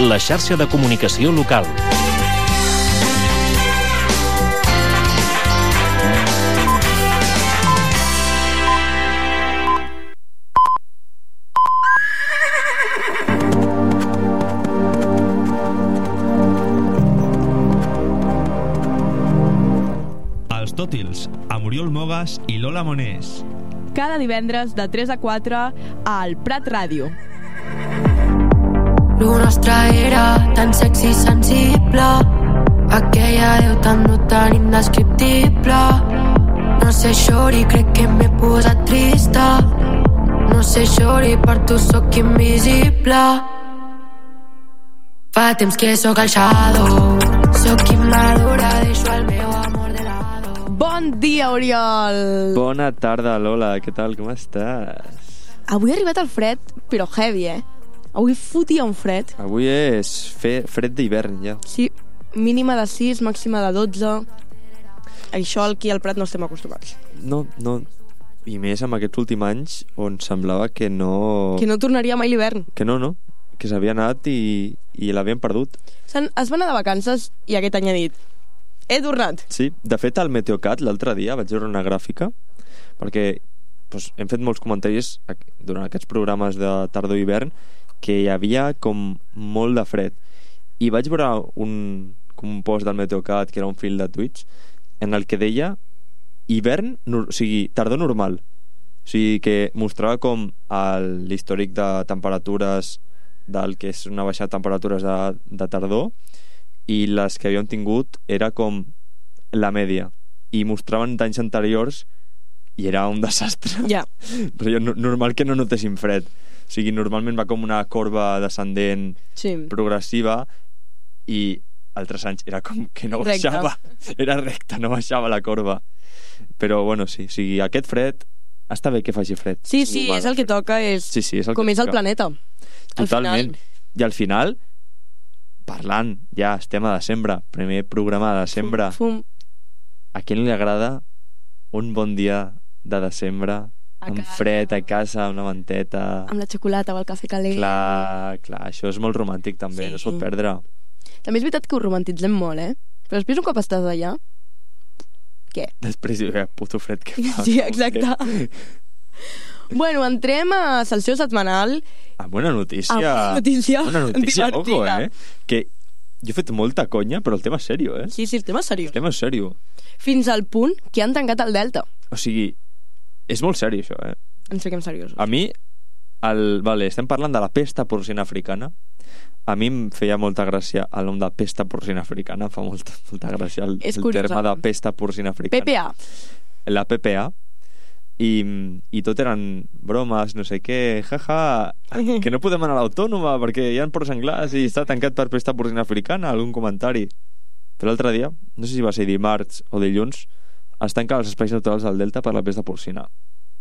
la xarxa de comunicació local. Els Tòtils, amb Oriol Mogas i Lola Monés. Cada divendres de 3 a 4 al Prat Ràdio. Lo nostre era tan sexy i sensible, aquella veu tan brutal i indescriptible. No sé, xori, crec que m'he posat trista. No sé, xori, per tu sóc invisible. Fa temps que sóc el shadow, sóc immadura, deixo el meu amor de lado. Bon dia, Oriol! Bona tarda, Lola, què tal, com estàs? Avui ha arribat el fred, però heavy, Avui fotia un fred. Avui és fred d'hivern, ja. Sí, mínima de 6, màxima de 12. Això aquí al Prat no estem acostumats. No. I més amb aquests últims anys on semblava que no... Que no tornaria mai l'hivern. Que no, que s'havia anat i l'havien perdut. Es va anar de vacances i aquest any ha dit: he tornat. Sí, de fet al Meteocat l'altre dia vaig veure una gràfica perquè hem fet molts comentaris durant aquests programes de tardor i hivern que hi havia com molt de fred i vaig veure un post del Meteocat que era un fil de Twitch en el que deia hivern, o sigui, tardor normal, o sigui que mostrava com l'històric de temperatures del que és una baixada de temperatures de tardor i les que havíem tingut era com la mèdia i mostraven d'anys anteriors i era un desastre. Ja. Normal que no notéssim fred, o sigui, normalment va com una corba descendent progressiva i altres anys era com que no baixava, era recta, no baixava la corba, però bueno, sí, o sigui, aquest fred està bé que faci fred. Sí, és el que toca, és com és el planeta. Totalment. I al final, parlant, ja estem a desembre, primer programa de desembre. A qui no li agrada un bon dia de desembre amb fred a casa, amb una manteta, amb la xocolata o el cafè calent? Clar, això és molt romàntic també, no es pot perdre. També és veritat que ho romantitzem molt, però després un cop estàs allà, què? Després hi ha puto fred que fa. Sí, exacte. Bueno, entrem a sessió setmanal. Bona notícia. Bona notícia, ojo, que jo he fet molta conya, però el tema és sèrio, Sí, el tema és seriós. El tema és sèrio. Fins al punt que han tancat el Delta. O sigui, és molt sèrio, això, Ens fiquem seriosos. A mi, estem parlant de la pesta porcina africana. A mi em feia molta gràcia el nom de pesta porcina africana, em fa molta gràcia el terme de pesta porcina africana. PPA. La PPA. I tot eren bromes, no sé què, jaja, que no podem anar a l'autònoma perquè hi ha porcs senglars i està tancat per pesta porcina africana, algun comentari. Però l'altre dia, no sé si va ser dimarts o dilluns, es tanquen els espais naturals del Delta per la pesta porcina.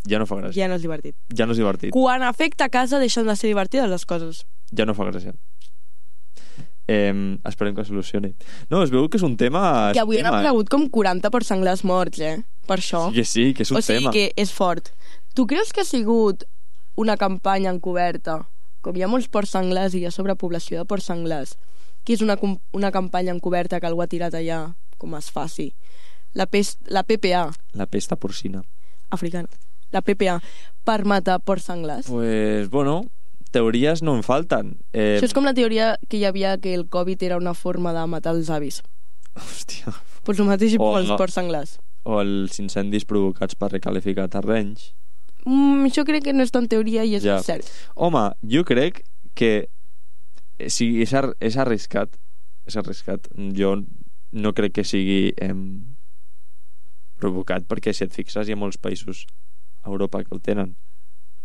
Ja no fa gràcia. Ja no és divertit. Quan afecta a casa deixen de ser divertides les coses. Ja no fa gràcia. Esperem que solucioni. No, es veu que és un tema... Que avui han aparegut com 40 porcs senglars morts, per això. Sí, que és un tema. O sigui que és fort. Tu creus que ha sigut una campanya encoberta? Com hi ha molts porcs senglars i hi ha sobrepoblació de porcs senglars, que és una campanya encoberta que algú ha tirat allà, com es faci. La PPA. La pesta porcina. Africana. La PPA. Per matar porcs senglars. Pues, bueno... teories no en falten. Això és com la teoria que hi havia que el Covid era una forma de matar els avis. Hòstia. Pues el mateix pels porcs senglars. O els incendis provocats per recalificar terrenys. Això crec que no és tan teoria i és cert. Home, jo crec que és arriscat. Jo no crec que sigui provocat, perquè si et fixes hi ha molts països a Europa que el tenen.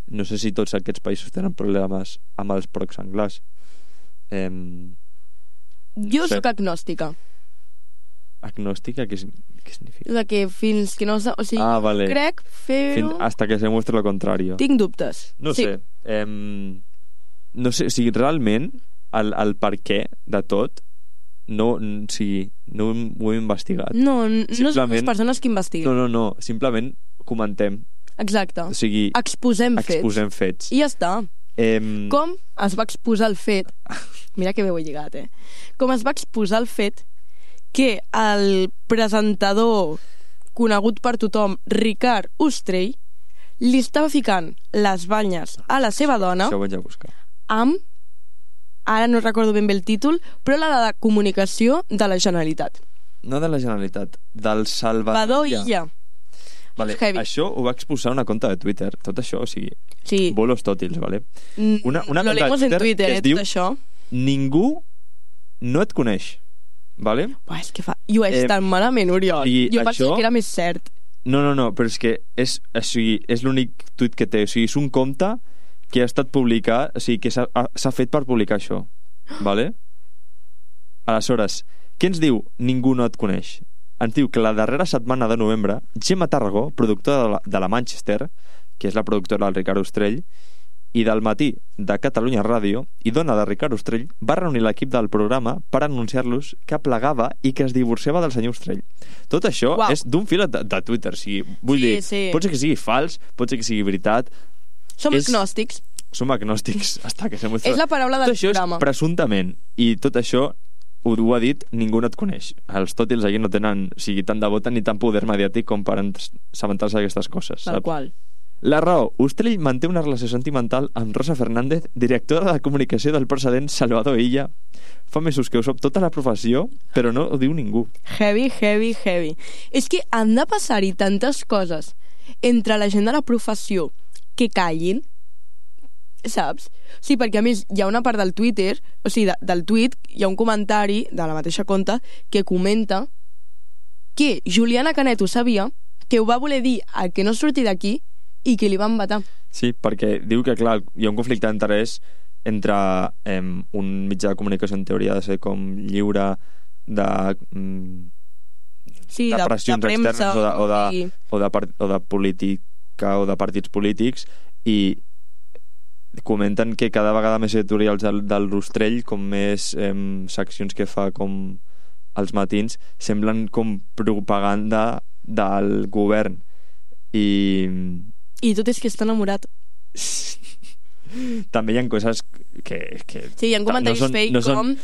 No sé si tots aquests països tenen problemes amb els porcs senglars. Jo sóc agnòstica. Agnòstica? Què significa? De que fins que no... O sigui, vale. Crec fer-ho... Hasta que se muestre lo contrario. Tinc dubtes. No sé. No sé, o sigui, realment el per què de tot no ho he investigat. No són les persones que investiguen. No, simplement comentem. Exacte. O sigui, exposem fets. fets. I ja està. Com es va exposar el fet mira que bé ho he lligat, com es va exposar el fet que el presentador conegut per tothom, Ricard Ostrell, li estava ficant les banyes a la seva dona Això ho vaig a buscar. amb, ara no recordo ben bé el títol, però la de comunicació de la Generalitat. No de la Generalitat, del Salvador Illa. Vale, Heavy. això ho va exposar una conta de Twitter, tot això, o sigui, Sí. bolos tòtils, vale? Una Lo conta de leemos en Twitter Twitter, que es diu tot això. Ningú no et coneix, vale? Buah, és que llueix tan malament, Oriol. i Jo pensava això- que era més cert. No, però és que és l'únic tuit que té, o sigui, és un compte que ha estat publicat, o sigui, que s'ha fet per publicar això, vale? Aleshores, què ens diu Ningú no et coneix? Ens diu que la darrera setmana de novembre, Gemma Tarragó, productora de la Manchester, que és la productora del Ricard Ostrell, i del Matí de Catalunya Ràdio, i dona de Ricard Ostrell, va reunir l'equip del programa per anunciar-los que plegava i que es divorciava del senyor Ostrell. Tot això Uau. és d'un fil de Twitter, o sigui, vull dir, Sí. pot ser que sigui fals, pot ser que sigui veritat, Som És- agnòstics. som agnòstics, hasta que se muestra. És la paraula del Tot això programa. és presumptament, i tot això ho ha dit Ningú no et coneix. Els tòtils aquí no tenen, o sigui, tant de vota ni tant poder mediàtic com per assabentar-se d'aquestes coses, Tal saps? qual. La raó. Ostrell manté una relació sentimental amb Rosa Fernández, directora de comunicació del precedent Salvador Illa. Fa mesos que ho sap tota la professió, però no ho diu ningú. Heavy, heavy, heavy. És que han de passar-hi tantes coses entre la gent de la professió que callin, saps? Sí, perquè a més hi ha una part del Twitter, o sigui, del tuit, hi ha un comentari de la mateixa conta que comenta que Juliana Canet ho sabia, que ho va voler dir a que no surti d'aquí i que li van vetar. Sí, perquè diu que, clar, hi ha un conflicte d'interès entre un mitjà de comunicació en teoria ha de ser com lliure de Sí, de pressions premsa, externes i- o de política o de partits polítics, i comenten que cada vegada més editorials del Rostrell, com més seccions que fa com els matins, semblen com propaganda del govern, I tot és que està enamorat. també hi ha coses que Sí, hi ha comentaris fake com...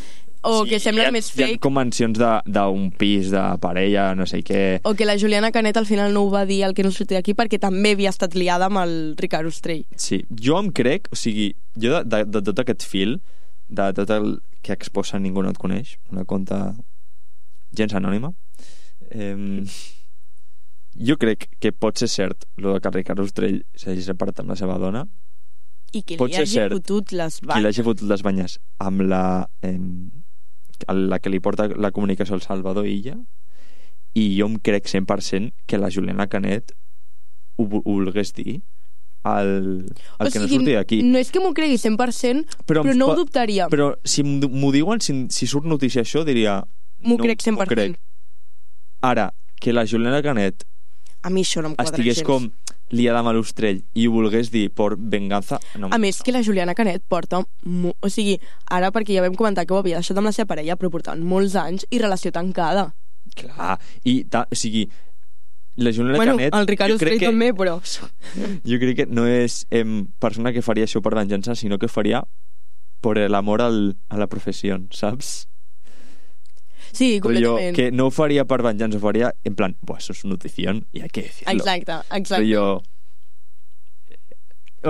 O que semblen més hi ha fake. com mencions d'un pis, de parella, no sé què. O que la Juliana Canet al final no ho va dir el que no sortia d'aquí perquè també havia estat liada amb el Ricard Ostrell. Sí, jo em crec, o sigui, jo de tot aquest fil, de tot el que exposa Ningú no et coneix, una conta gens anònima, jo crec que pot ser cert lo de que Ricard Ostrell s'hagi separat amb la seva dona, I que Pot li ser hagi cert fotut les qui banyes. l'hagi fotut les banyes amb la que li porta la comunicació al Salvador Illa, i jo em crec 100% que la Juliana Canet ho volgués dir al que no surti d'aquí. No és que m'ho cregui 100%, però no ho dubtaria. Però si m'ho diuen, si surt notícia això, diria... M'ho crec 100%. Ara, que la Juliana Canet A mi això no em quadra estigués gens. com liada amb l'Ostrell i ho volgués dir per venganza... No, A més que la Juliana Canet porta... O sigui, ara perquè ja vam comentar que ho havia deixat amb la seva parella, però portaven molts anys i relació tancada. clar, o sigui, la Juliana Bueno, Canet... el Ricard jo crec Ostrell també, però... Jo crec que no és persona que faria això per venjança, sinó que faria por el amor a la professió, saps? Sí, completament. Que no ho faria per venjança, ho faria en plan, això és notició i hay que decirlo. Exacte. Rollo...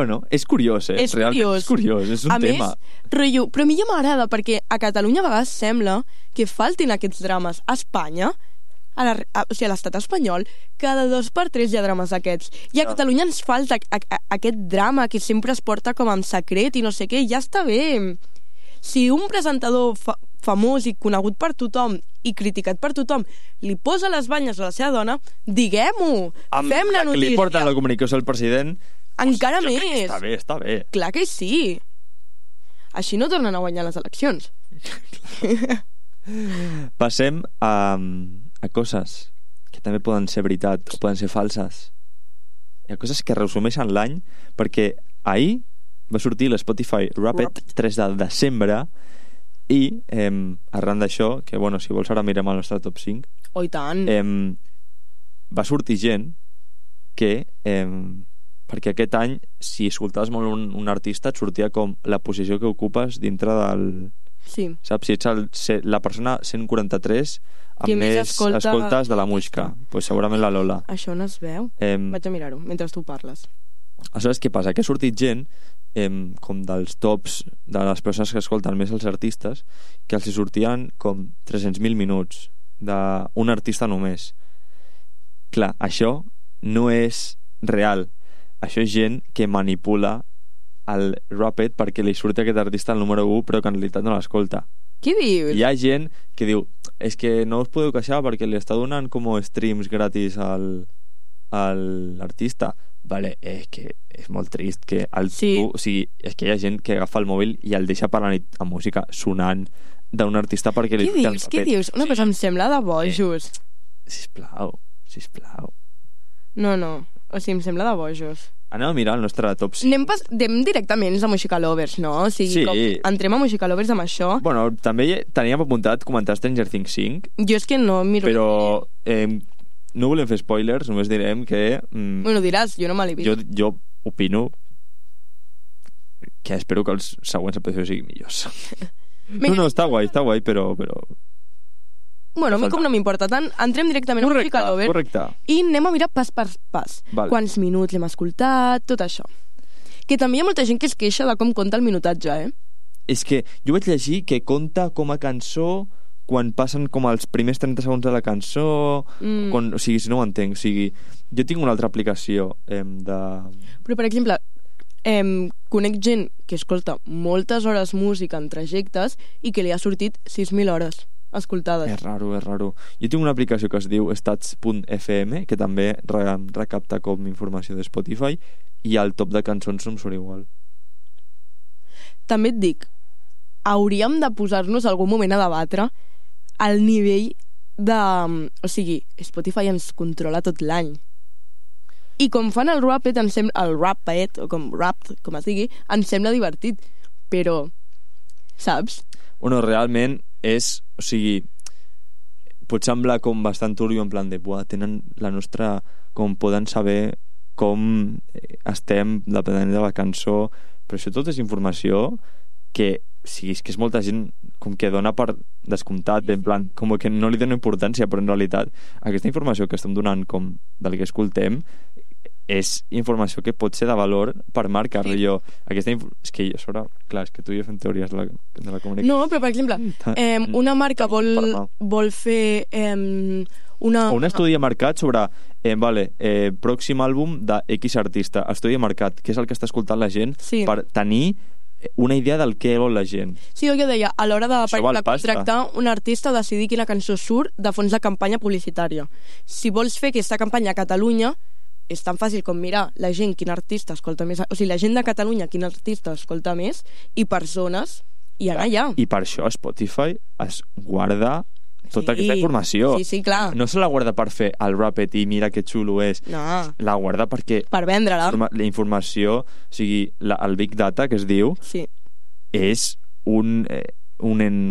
no, és curiós, És realment curiós. és curiós, és un a tema. més, rotllo, però a mi ja m'agrada perquè a Catalunya a vegades sembla que faltin aquests drames. A Espanya, o sigui, a l'estat espanyol, cada 2 per 3 hi ha drames d'aquests. I a Catalunya ens falta aquest drama que sempre es porta com en secret i no sé què, ja està bé. Si un presentador famós i conegut per tothom i criticat per tothom li posa les banyes a la seva dona, diguem-ho, fem la Que li notícia. porten la comunicació al president, Encara jo crec que més. està bé. Clar que sí. Així no tornen a guanyar les eleccions. Passem a coses que també poden ser veritat o poden ser falses. Hi ha coses que resumeixen l'any, perquè ahir va sortir l'Spotify Wrapped 3 de desembre i arran d'això, que bueno, si vols ara mirem el nostre top 5, Oh, i tant. va sortir gent que perquè aquest any, si escoltaves molt un artista, et sortia com la posició que ocupes dintre del Sí. Saps? Si ets la persona 143 amb Qui més més escoltes de la música, pues segurament la Lola. Això no es veu? Vaig a mirar-ho mentre tu parles. Aleshores, què passa? Que ha sortit gent com dels tops de les persones que escolten més els artistes, que els hi sortien com 300.000 minuts d'un artista només. Clar, això no és real. Això és gent que manipula el Rapid perquè li surti aquest artista al número 1 però que en realitat no l'escolta. Què dius? Hi ha gent que diu és que no us podeu queixar perquè li està donant com streams gratis a l'artista. Vale, és que és molt trist que sí. o sigui, és que hi ha gent que agafa el mòbil i el deixa per la nit amb música sonant d'un artista perquè li... Què dius? Una cosa em sembla de bojos. Sisplau. No. O sigui, em sembla de bojos. Anem a mirar el nostre top 5. Anem directament a Música Lovers, no? O sigui, sí. Entrem a Música Lovers amb això. Bueno, també teníem apuntat comentar Stranger Things 5. Jo és que no miro... Però no volem fer spoilers, només direm que... Bueno, diràs, jo no me l'he vist. Jo opino que espero que els següents episodis siguin millors. No, està guai, però... Bueno, a mi com no m'importa tant, entrem directament a Música Lovers. Correcte. I anem a mirar pas per pas. Vale. Quants minuts l'hem escoltat, tot això. Que també hi ha molta gent que es queixa de com compta el minutatge, És que jo vaig llegir que compta com a cançó quan passen com els primers 30 segons de la cançó, o sigui, si no ho entenc, o sigui, jo tinc una altra aplicació Però, per exemple, conec gent que escolta moltes hores música en trajectes i que li ha sortit 6.000 hores escoltades. És raro. Jo tinc una aplicació que es diu stats.fm, que també recapta com informació de Spotify, i el top de cançons no em surt igual. També et dic, hauríem de posar-nos algun moment a debatre el nivell de... O sigui, Spotify ens controla tot l'any. I com fan el Rapid, el Rapid, o com Rapt, com es digui, ens sembla divertit. Però, saps? Bueno, realment és... O sigui, pot semblar com bastant turbio, en plan de... Buah, tenen la nostra... Com poden saber com estem, depenent de la cançó... Però això tot és informació que... Sí, és que és molta gent com que dona per descomptat, en plan, com que no li dona importància, però en realitat aquesta informació que estem donant com del que escoltem és informació que pot ser de valor per marcar jo. És que sobre, clar, és que tu i jo fem teories de la comunicació. No, però per exemple, una marca vol fer o un estudi marcat sobre pròxim àlbum de X artista, estudi marcat, que és el que està escoltant la gent per tenir una idea del que vol la gent. Sí, jo deia, a l'hora de contractar un artista, decidir quina cançó surt de fons de campanya publicitària. Si vols fer aquesta campanya a Catalunya, és tan fàcil com mirar la gent quin artista escolta més, o sigui, la gent de Catalunya quin artista escolta més, i persones, i anar allà. I per això Spotify es guarda tota aquesta informació. Sí, clar. No se la guarda per fer el Rapid i mira que xulo és. No. La guarda perquè... Per vendre-la. La informació, o sigui, el Big Data, que es diu, és un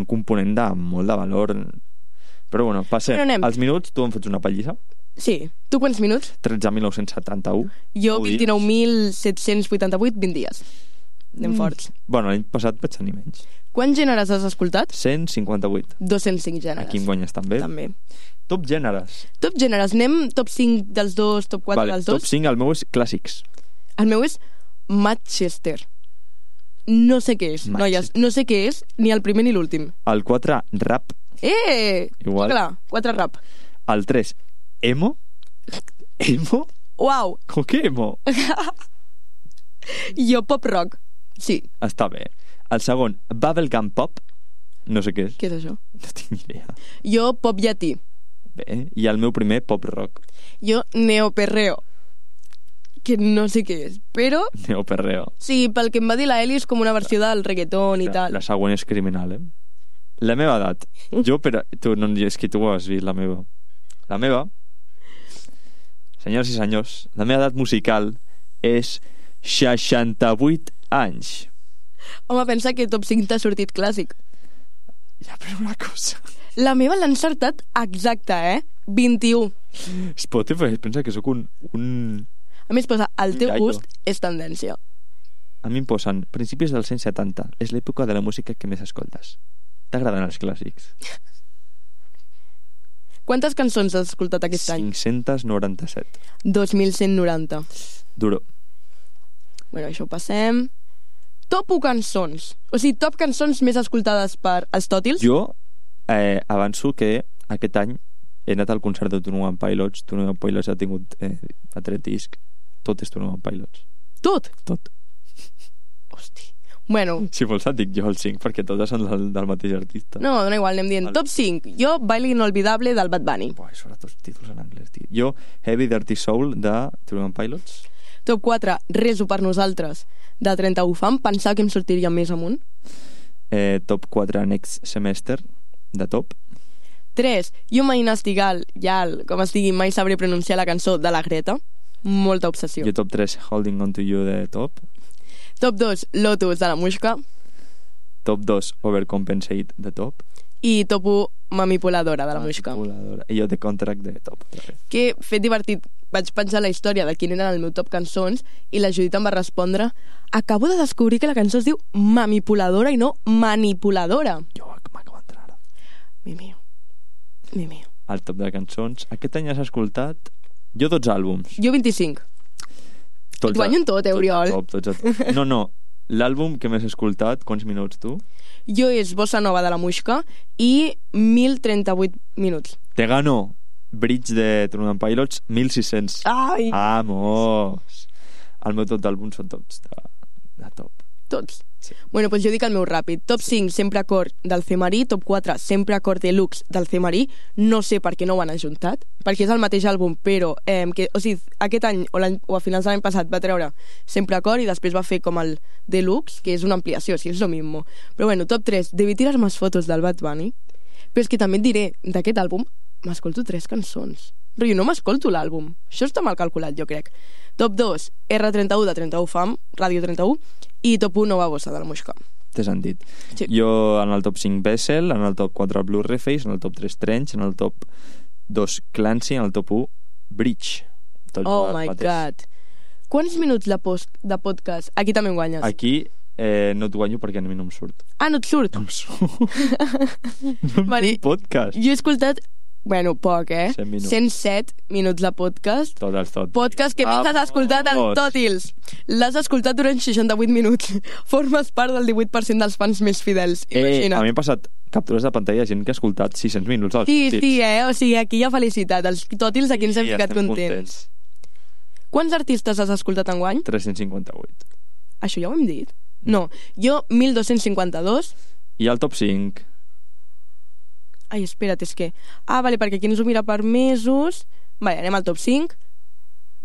component de molt de valor. Però bueno, passem. Els minuts, tu em fots una pallissa? Sí. Tu quants minuts? 13.971. Jo 29.788, 20 dies. Anem forts. Bueno, l'any passat vaig tenir menys. Quants gèneres has escoltat? 158. 205 gèneres. Aquí em guanyes també. Top gèneres. Top gèneres. Anem top 5 dels dos, top 4 dels dos? Top 5, el meu és clàssics. El meu és Manchester. No sé què és, noies. No sé què és, ni el primer ni l'últim. El 4, rap. Igual. Clar, 4 rap. El 3, emo. Emo? Uau. Com que emo? Jo pop rock. Sí. Està bé. El segon, bubblegum pop. No sé què és. Què és això? No tinc ni idea. Jo pop llatí. Bé. I el meu primer, pop rock. Jo neoperreo. Que no sé què és, però... Neoperreo. Sí, pel que em va dir la Eli és com una versió del reggaeton i tal. La següent és criminal, La meva edat. Jo, però... és que tu ho has vist, la meva. La meva... Senyors i senyors, la meva edat musical és 68 anys. Home, pensa que top 5 t'ha sortit clàssic. Ja, però una cosa... La meva l'ha encertat exacta, 21. Spotify pensa que sóc un... A més posa, el teu gust és tendència. A mi em posen principis dels 170. És l'època de la música que més escoltes. T'agraden els clàssics? Quantes cançons has escoltat aquest any? 597. 2.190. Duro. Bueno, això ho passem. Top 1 cançons. O sigui, top cançons més escoltades per Aristòtils. Jo avanço que aquest any he anat al concert de 21 Pilots. 21 Pilots ha tingut a 3 disc. Tot és 21 Pilots. Tot? Tot. Hosti. Bueno. Si vols et dic jo el 5, perquè totes són del mateix artista. No, dona igual, anem dient. Top 5. Jo, Baile Inolvidable del Bad Bunny. Buah, això ara tots títols en anglès, tio. Jo, Heavy Dirty Soul de 21 Pilots. Top 4. Reso per nosaltres de 31 Fam. Pensava que em sortiria més amunt. Top 4 Next Semester de Top. 3. Jo mai Nastigal, com es digui, mai sabré pronunciar la cançó de la Greta. Molta obsessió. Jo top 3 Holding On To You de Top. Top 2 Lotus de la Muixca. Top 2 Overcompensate de Top. I top 1 Manipuladora de la Muixca. I jo The Contract de Top. Que fet divertit, vaig pensar la història de quin eren el meu top cançons i la Judit em va respondre: acabo de descobrir que la cançó es diu Manipuladora i no Manipuladora. Jo m'acabo d'entrar ara. Mi mío. Al top de cançons. Aquest any has escoltat jo 12 àlbums. Jo 25. Et guanyo en tot, Oriol. Tots a top. No. L'àlbum que més has escoltat, quants minuts tu? Jo és Bossa Nova de la Muixca i 1.038 minuts. Te gano Bridge de 21 Pilots, 1.600. Ai! Vamos! El meu tot d'àlbums són tots de top. Tots? Sí. Bueno, doncs jo dic el meu ràpid. Top 5, Sempre Acord del Cemarí. Top 4, Sempre Acord Deluxe del Cemarí. No sé per què no ho han ajuntat, perquè és el mateix àlbum, però aquest any o a finals de l'any passat va treure Sempre Acord i després va fer com el Deluxe, que és una ampliació, si és lo mismo. Però bueno, top 3, Debí tirar más fotos del Bad Bunny. Però és que també et diré, d'aquest àlbum m'escolto 3 cançons. Però jo no m'escolto l'àlbum. Això està mal calculat, jo crec. Top 2, R31 de 31 Fam, Ràdio 31, i top 1, Nova Bossa de la Muixca. Té sentit. Sí. Jo en el top 5 Bessel, en el top 4 Blu-ray Face, en el top 3 Trench, en el top 2 Clancy, en el top 1 Bridge. Tot Oh my god. Quants minuts de podcast? Aquí també em guanyes. Aquí no et guanyo perquè a mi no em surt. Ah, no et surt? No em surt. Vale. Un podcast. Jo he escoltat, bueno, poc, 107 minuts de podcast. Tot. Podcast que més has escoltat en Tòtils. L'has escoltat durant 68 minuts. Formes part del 18% dels fans més fidels. Imagina't. A mi m'ha passat captures de pantalla de gent que ha escoltat 600 minuts als Sí, Tòtils. o sigui, aquí hi ha felicitat. Els Tòtils aquí ens hem ficat contents. Quants artistes has escoltat enguany? 358. Això ja ho hem dit? No, jo 1.252. I el top 5? Ai, espera't, és que... Ah, vale, perquè aquí ens ho mira per mesos. Vale, anem al top 5.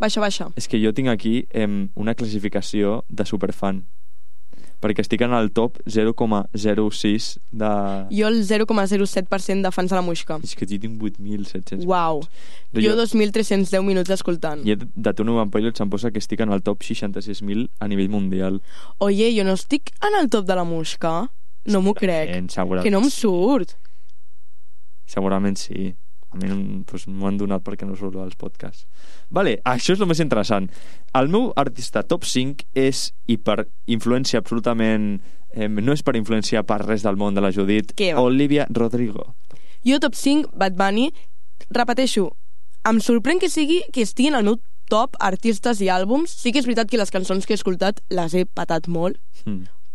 Baixa. És que jo tinc aquí una classificació de superfan. Perquè estic en el top 0,06 de... Jo el 0,07% de fans de la Muixca. És que jo tinc 8.700. Uau. Jo 2.310 minuts escoltant. I de Tune Pilots em posa que estic en el top 66.000 a nivell mundial. Oye, jo no estic en el top de la Muixca. No m'ho crec. Segurament. Que no em surt. Segurament sí. A mi m'ho han donat perquè no surt als podcasts. Vale, això és el més interessant. El meu artista top 5 és, i per influència absolutament... no és per influència per res del món de la Judit, Olivia Rodrigo. Jo top 5, Bad Bunny. Repeteixo, em sorprèn que estigui en el meu top artistes i àlbums. Sí que és veritat que les cançons que he escoltat les he patat molt,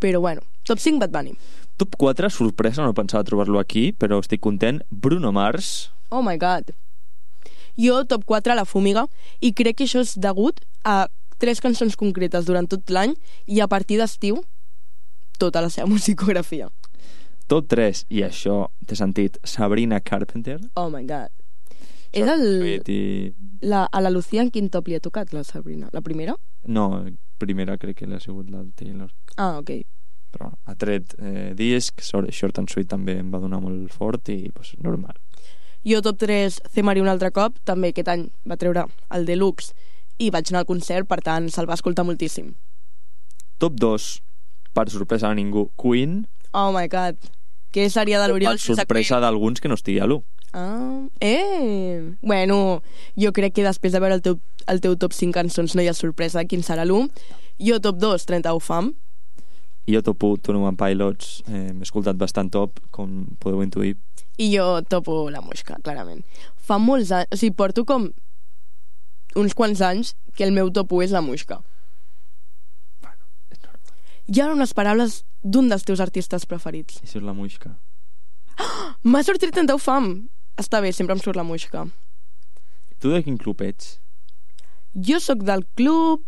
però bueno, top 5, Bad Bunny. Top 4, sorpresa, no pensava trobar-lo aquí, però estic content, Bruno Mars. Oh my god. Jo top 4, La Fúmiga, i crec que això és degut a 3 cançons concretes durant tot l'any i a partir d'estiu tota la seva musicografia. Top 3, i això té sentit, Sabrina Carpenter. Oh my god. És a la Lucía en quin top li ha tocat, la Sabrina? La primera? No, primera crec que l'ha sigut la Taylor. Ah, ok. Però ha tret disc, Short and Sweet també em va donar molt fort i pues, normal. Jo top 3, Cemarí un altre cop, també aquest any va treure el Deluxe i vaig anar al concert, per tant se'l va escoltar moltíssim. Top 2, per sorpresa de ningú, Queen. Oh my god, què seria de l'Oriol sense Queen? Per sorpresa d'alguns que no estigui a l'1. Bueno, jo crec que després de veure el teu top 5 cançons no hi ha sorpresa quin serà l'1. Jo top 2, 31 Fam. I jo topo Tony One Pilots, m'he escoltat bastant top, com podeu intuir. I jo topo la Muixca, clarament. Fa molts anys, o sigui, porto com uns quants anys que el meu top 1 és la Muixca. I ara unes paraules d'un dels teus artistes preferits. Això és la Muixca. M'ha sortit en teu fam. Està bé, sempre em surt la Muixca. Tu de quin club ets? Jo sóc del club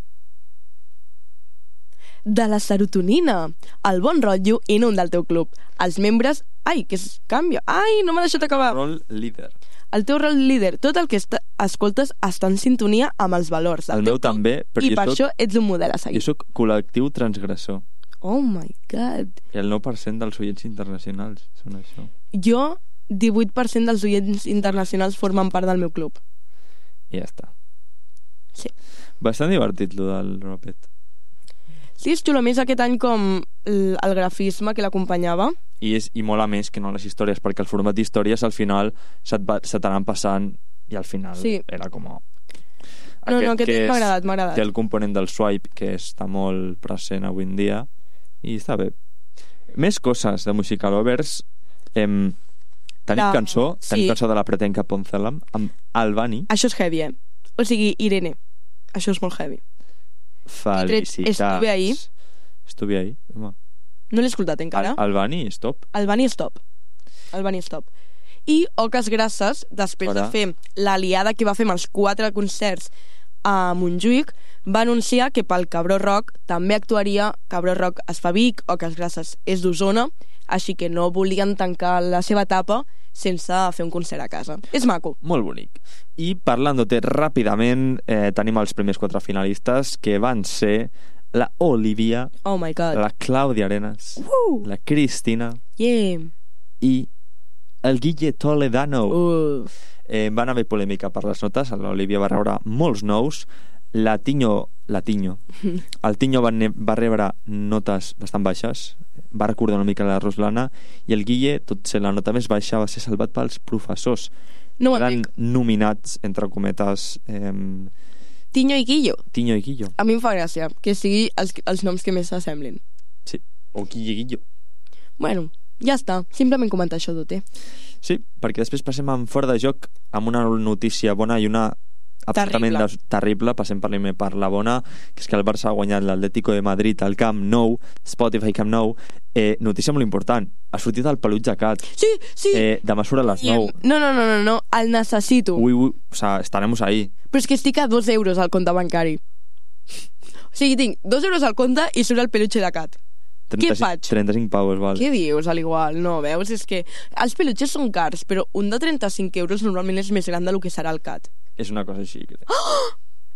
de la serotonina, el bon rotllo i no un del teu club. Els membres... Ai, que es canvia. Ai, no m'ha deixat acabar. Rol líder. El teu rol líder, tot el que escoltes està en sintonia amb els valors del El teu meu club, també, però i per això ets un model a seguir. Jo sóc col·lectiu transgressor. Oh my god. I el 9% dels oients internacionals són això. Jo, 18% dels oients internacionals formen part del meu club. I ja està. Sí. Bastant divertit, lo del Ropet. Sí, és xulo. Més aquest any com el grafisme que l'acompanyava. I mola més que no les històries, perquè el format d'històries al final se t'aran passant i al final era com... No, aquest m'ha agradat. Té el component del swipe, que està molt present avui en dia, i està bé. Més coses de Musical Lovers. Tenim cançó de la Pretenca Poncelam amb Albani. Això és heavy, O sigui, Irene. Això és molt heavy. Felicitats. Estuve ahí, home. No l'he escoltat encara. Albani, stop. Albani, stop. I Oques Grasses, després de fer l'aliada que va fer amb els 4 concerts a Montjuïc, va anunciar que pel Cabró Rock també actuaria. Cabró Rock es fa a Vic, Oques Grasses és d'Osona, així que no volien tancar la seva etapa sense fer un concert a casa. És maco. Molt bonic. I parlant-te ràpidament, tenim els primers 4 finalistes, que van ser la Olivia, oh my God, la Clàudia Arenas, la Cristina i el Guille Toledano. Van haver polèmica per les notes. L'Olivia va rebre molts nous. El Tiño va rebre notes bastant baixes, va recordar una mica la Ruslana, i el Guille, tot ser la nota més baixa, va ser salvat pels professors. No eren nominats, entre cometes, Tiño i Guillo. A mi em fa gràcia que sigui els noms que més s'assemblin. Sí, o Guillo. Bueno, ja està. Simplement comentar això d'Ote. Sí, perquè després passem en fora de joc amb una notícia bona i una absolutament terrible. Passem per la bona, que és que el Barça ha guanyat l'Atlético de Madrid al Camp Nou, Spotify Camp Nou. Notícia molt important. Ha sortit el peluig de Cat. Sí. Demà surt a les 9. No. El necessito. O sea, estaremos ahí. Però és que estic a 2 euros al compte bancari. O sigui, tinc 2 euros al compte i surt el peluche de Cat. Què faig? 35 pavos, val. Què dius, a l'igual? No, veus? És que els peluches són cars, però un de 35 euros normalment és més gran del que serà el Cat. És una cosa així, crec.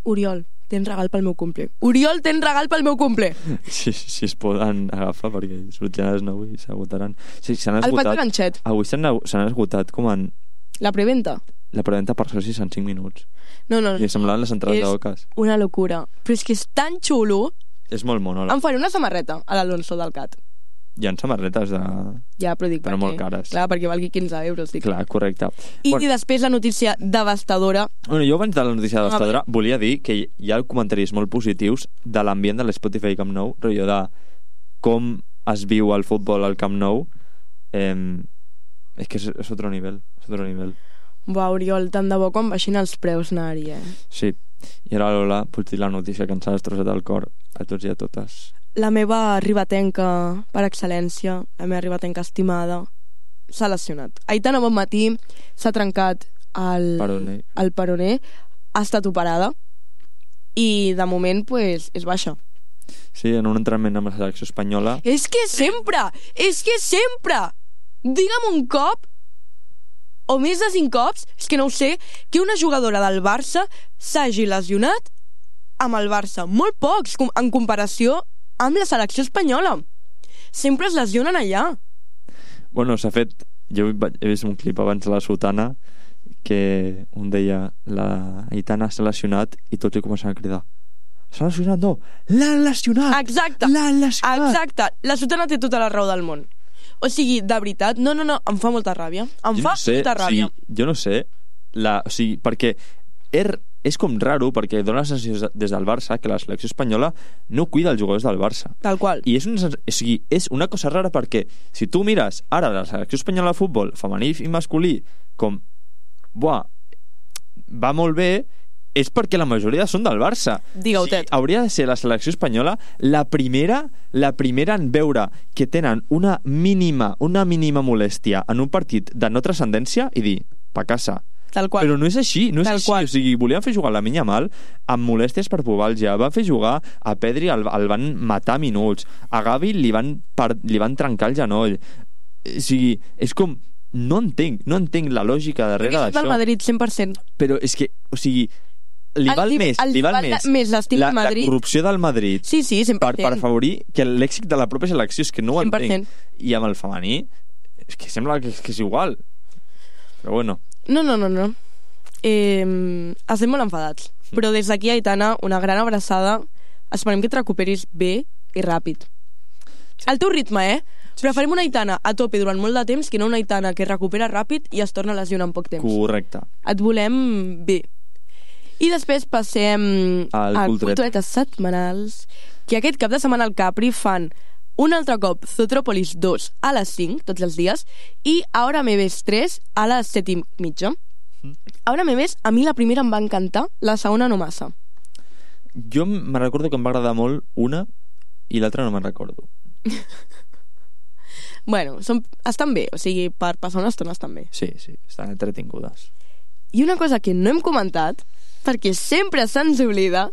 Oriol, tens regal pel meu cumple. Si es poden agafar, perquè sortiran a les 9 i s'agotaran. Sí, s'han esgotat. El pat de ganxet. Avui s'han esgotat com en... La preventa? La preventa per socis en 5 minuts. No. I semblaven les entrades d'Oques. És una locura. Però és que és tan xulo. És molt mono. Em faré una samarreta a l'Alonso del Cat. Hi ha samarretes de... Ja, però dic però molt cares. Clar, perquè valgui 15 euros. Dic. Clar, correcte. I després la notícia devastadora. Bueno, jo abans de la notícia devastadora volia dir que hi ha comentaris molt positius de l'ambient de l'Spotify Camp Nou, rotllo de com es viu el futbol al Camp Nou. És que és otro nivel. Buah, Oriol, tant de bo quan baixin els preus anar-hi, Sí, i ara Lola, pots dir la notícia que ens ha destrossat el cor a tots i a totes. La meva ribatenca per excel·lència, la meva ribatenca estimada, s'ha lesionat. Aitana Bonmatí s'ha trencat el peroné, ha estat operada i de moment pues, és baixa. Sí, en un entrenament amb la selecció espanyola. És que sempre! Digue'm un cop o més de 5 cops, és que no ho sé, que una jugadora del Barça s'hagi lesionat amb el Barça. Molt pocs, en comparació amb la selecció espanyola. Sempre es lesionen allà. Bueno, s'ha fet... Jo he vist un clip abans de la Sotana que un deia la Aitana s'ha lesionat i tots li comencen a cridar. S'ha lesionat, no! L'han lesionat! Exacte! La Sotana té tota la raó del món. O sigui, de veritat, no, em fa molta ràbia. Molta ràbia. Jo no sé, perquè és com raro, perquè dona la sensació des del Barça que la selecció espanyola no cuida els jugadors del Barça. Tal qual. I és una cosa rara perquè si tu mires ara la selecció espanyola de futbol, femení i masculí, com, va molt bé, és perquè la majoria són del Barça. Digue-ho, Tet. Hauria de ser la selecció espanyola la primera en veure que tenen una mínima molèstia en un partit de no transcendència i dir, pa casa. Tal qual. Però no és així, no és Tal així. qual. O sigui, volien fer jugar la Minyamal amb molèsties per pubalgia, van fer jugar a Pedri, el van matar minuts, a Gavi li van trencar el genoll. O sigui, és com... No entenc la lògica darrere d'això. Perquè és del Madrid, 100%. Però és que, o sigui... Li val més l'estil del Madrid. La corrupció del Madrid sí, 100%. per afavorir que l'èxit de la pròpia selecció, és que no ho 100%. entenc. I amb el femení és que sembla que és igual, però bueno. No. Estem molt enfadats, però des d'aquí, Aitana, una gran abraçada. Esperem que et recuperis bé i ràpid. Al teu ritme, Preferim una Aitana a tope durant molt de temps que no una Aitana que es recupera ràpid i es torna a lesionar en poc temps. Correcte. Et volem bé. I després passem a culturetes setmanals, que aquest cap de setmana al Capri fan un altre cop Zootropolis 2 a les 5, tots els dies, i Ahora me ves 3 a les 7:30. Ahora me ves, a mi la primera em va encantar, la segona no massa. Jo me recordo que em va agradar molt una i l'altra no me'n recordo. Bueno, estan bé, o sigui, per passar una estona estan bé. Sí, estan entretingudes. I una cosa que no hem comentat, perquè sempre se'ns oblida,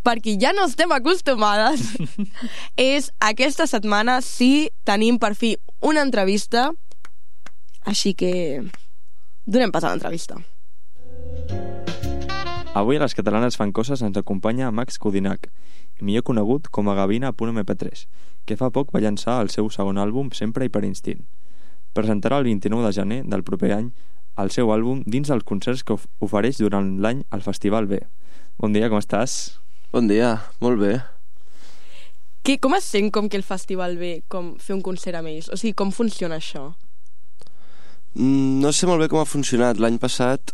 perquè ja no estem acostumades, és aquesta setmana sí tenim per fi una entrevista, així que donem pas a l'entrevista. Avui a Les Catalanes fan coses ens acompanya Max Codinac, millor conegut com a Gavina.mp3, que fa poc va llançar el seu segon àlbum Sempre i per instint. Presentarà el 29 de gener del proper any el seu àlbum dins dels concerts que ofereix durant l'any al Festival B. Bon dia, com estàs? Bon dia, molt bé. Com es sent com que el Festival B, com fer un concert amb ells? O sigui, com funciona això? No sé molt bé com ha funcionat. L'any passat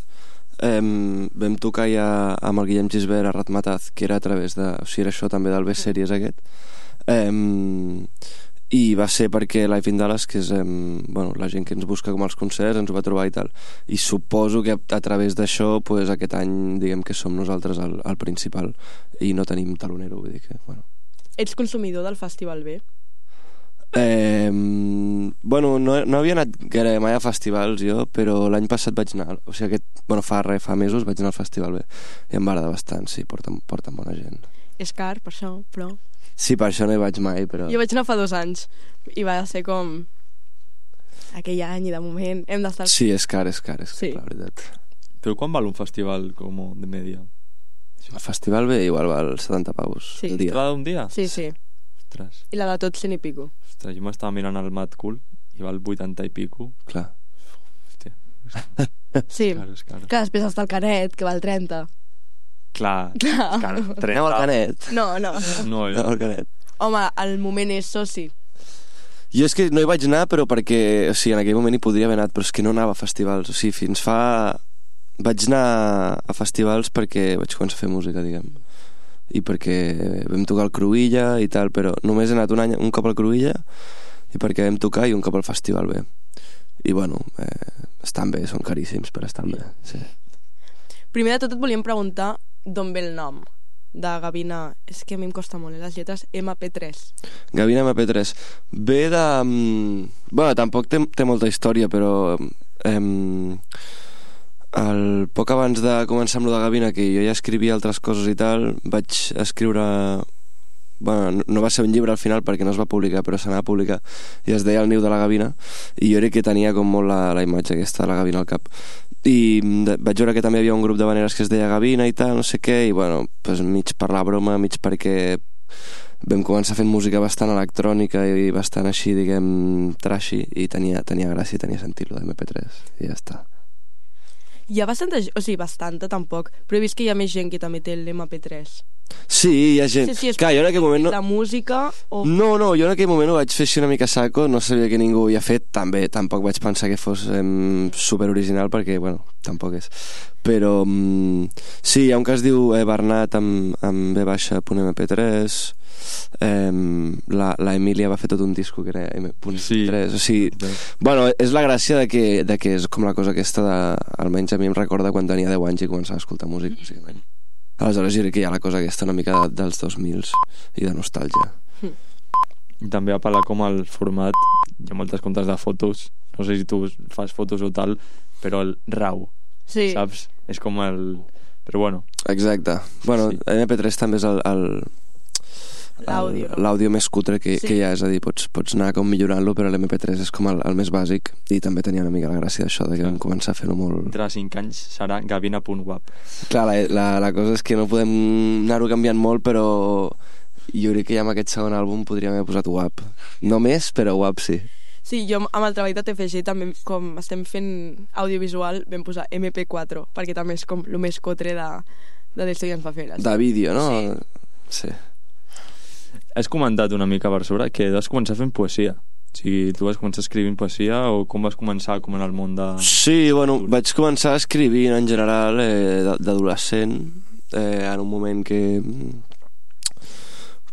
vam tocar ja amb el Guillem Gisbert a Ratmataz, que era a través de... O sigui, era això també del B-Series aquest. I va ser perquè Live in Dallas, que és la gent que ens busca com als concerts, ens ho va trobar i tal. I suposo que a través d'això pues, aquest any diguem que som nosaltres el principal i no tenim talonero, vull dir que... Bueno. Ets consumidor del Festival B? No havia anat gaire mai a festivals jo, però l'any passat vaig anar, o sigui fa mesos vaig anar al Festival B i em va agradar bastant, sí, porten bona gent. És car, per això, però... Sí, per això no hi vaig mai, però... Jo vaig anar fa 2 anys i va ser com... aquell any i de moment hem d'estar... Sí, és car, sí. La veritat. Però quan val un festival com de media? El Festival B igual val 70 paus sí. El dia. Cada un dia? Sí. Ostres. I la de tots 100 i pico. Ostres, jo m'estava mirant el Mad Cool i val 80 i pico. Clar. Hòstia. Sí. És car. Clar, després està el Canet, que val 30. Clar. Anem al Canet. No, al Canet. Home, al moment és soci. Jo és que no hi vaig anar, però perquè, o sigui, en aquell moment hi podria haver anat, però és que no anava a festivals, o sigui, fins fa... Vaig anar a festivals perquè vaig començar a fer música, diguem, i perquè vam tocar al Cruïlla i tal, però només he anat un cop al Cruïlla i perquè vam tocar i un cop al Festival B. I bueno, estan bé, són caríssims, però estan bé, sí. Primer de tot et volíem preguntar d'on ve el nom de Gavina. És que a mi em costa molt, les lletres MP3. Gavina MP3 ve de... Bueno, tampoc té molta història, però poc abans de començar amb lo de Gavina, que jo ja escrivia altres coses i tal, vaig escriure... Bueno, no va ser un llibre al final perquè no es va publicar, però s'anava a publicar i es deia El niu de la gavina, i jo crec que tenia com molt la imatge aquesta de la gavina al cap, i vaig veure que també hi havia un grup de veneres que es deia Gavina i tal, no sé què, i bueno, pues, mig per la broma, mig perquè vam començar fent música bastant electrònica i bastant així, diguem, trashy, i tenia gràcia i tenia sentit lo de MP3 i ja està. Hi ha bastanta, o sigui, bastanta tampoc, però he vist que hi ha més gent que també té l'MP3. Sí, hi ha gent. Sí, Clar, jo en aquell moment la música o... No, jo en aquell moment ho vaig fer així una mica saco, no sabia que ningú ho havia fet, també tampoc vaig pensar que fos super original, perquè, bueno, tampoc és. Però sí, hi ha un que es diu Bernat amb B-.mp3, la Emília va fer tot un disco que era M.3, Sí. o sigui, bueno, és la gràcia de que és com la cosa aquesta de, almenys a mi em recorda quan tenia 10 anys i començava a escoltar música, bàsicament. Aleshores jo crec que hi ha la cosa aquesta una mica dels 2000s i de nostàlgia. I també apel·la com al format, hi ha moltes comptes de fotos, no sé si tu fas fotos o tal, però el RAW, Sí. saps? És com el... Però bueno. Exacte. Bueno, Sí. MP3 també és L'àudio, no? l'àudio més cutre que hi ha, és a dir, pots anar com millorant-lo, però l'MP3 és com el més bàsic, i també tenia una mica la gràcia d'això, de que vam començar a fer-ho molt... Entre 5 anys serà gavina.wap. Clar, la cosa és que no podem anar-ho canviant molt, però jo crec que ja amb aquest segon àlbum podríem haver posat WAP. No més, però WAP sí. Sí, jo amb el treball de TFG també, com estem fent audiovisual, vam posar MP4, perquè també és com el més cotre de l'Esto ja ens va fer. De vídeo, no? Sí. Has comentat una mica per sobre que vas començar fent poesia. O sigui, tu vas començar escrivint poesia o com vas començar com en el món de... Sí, bueno, vaig començar escrivint en general d'adolescent, en un moment que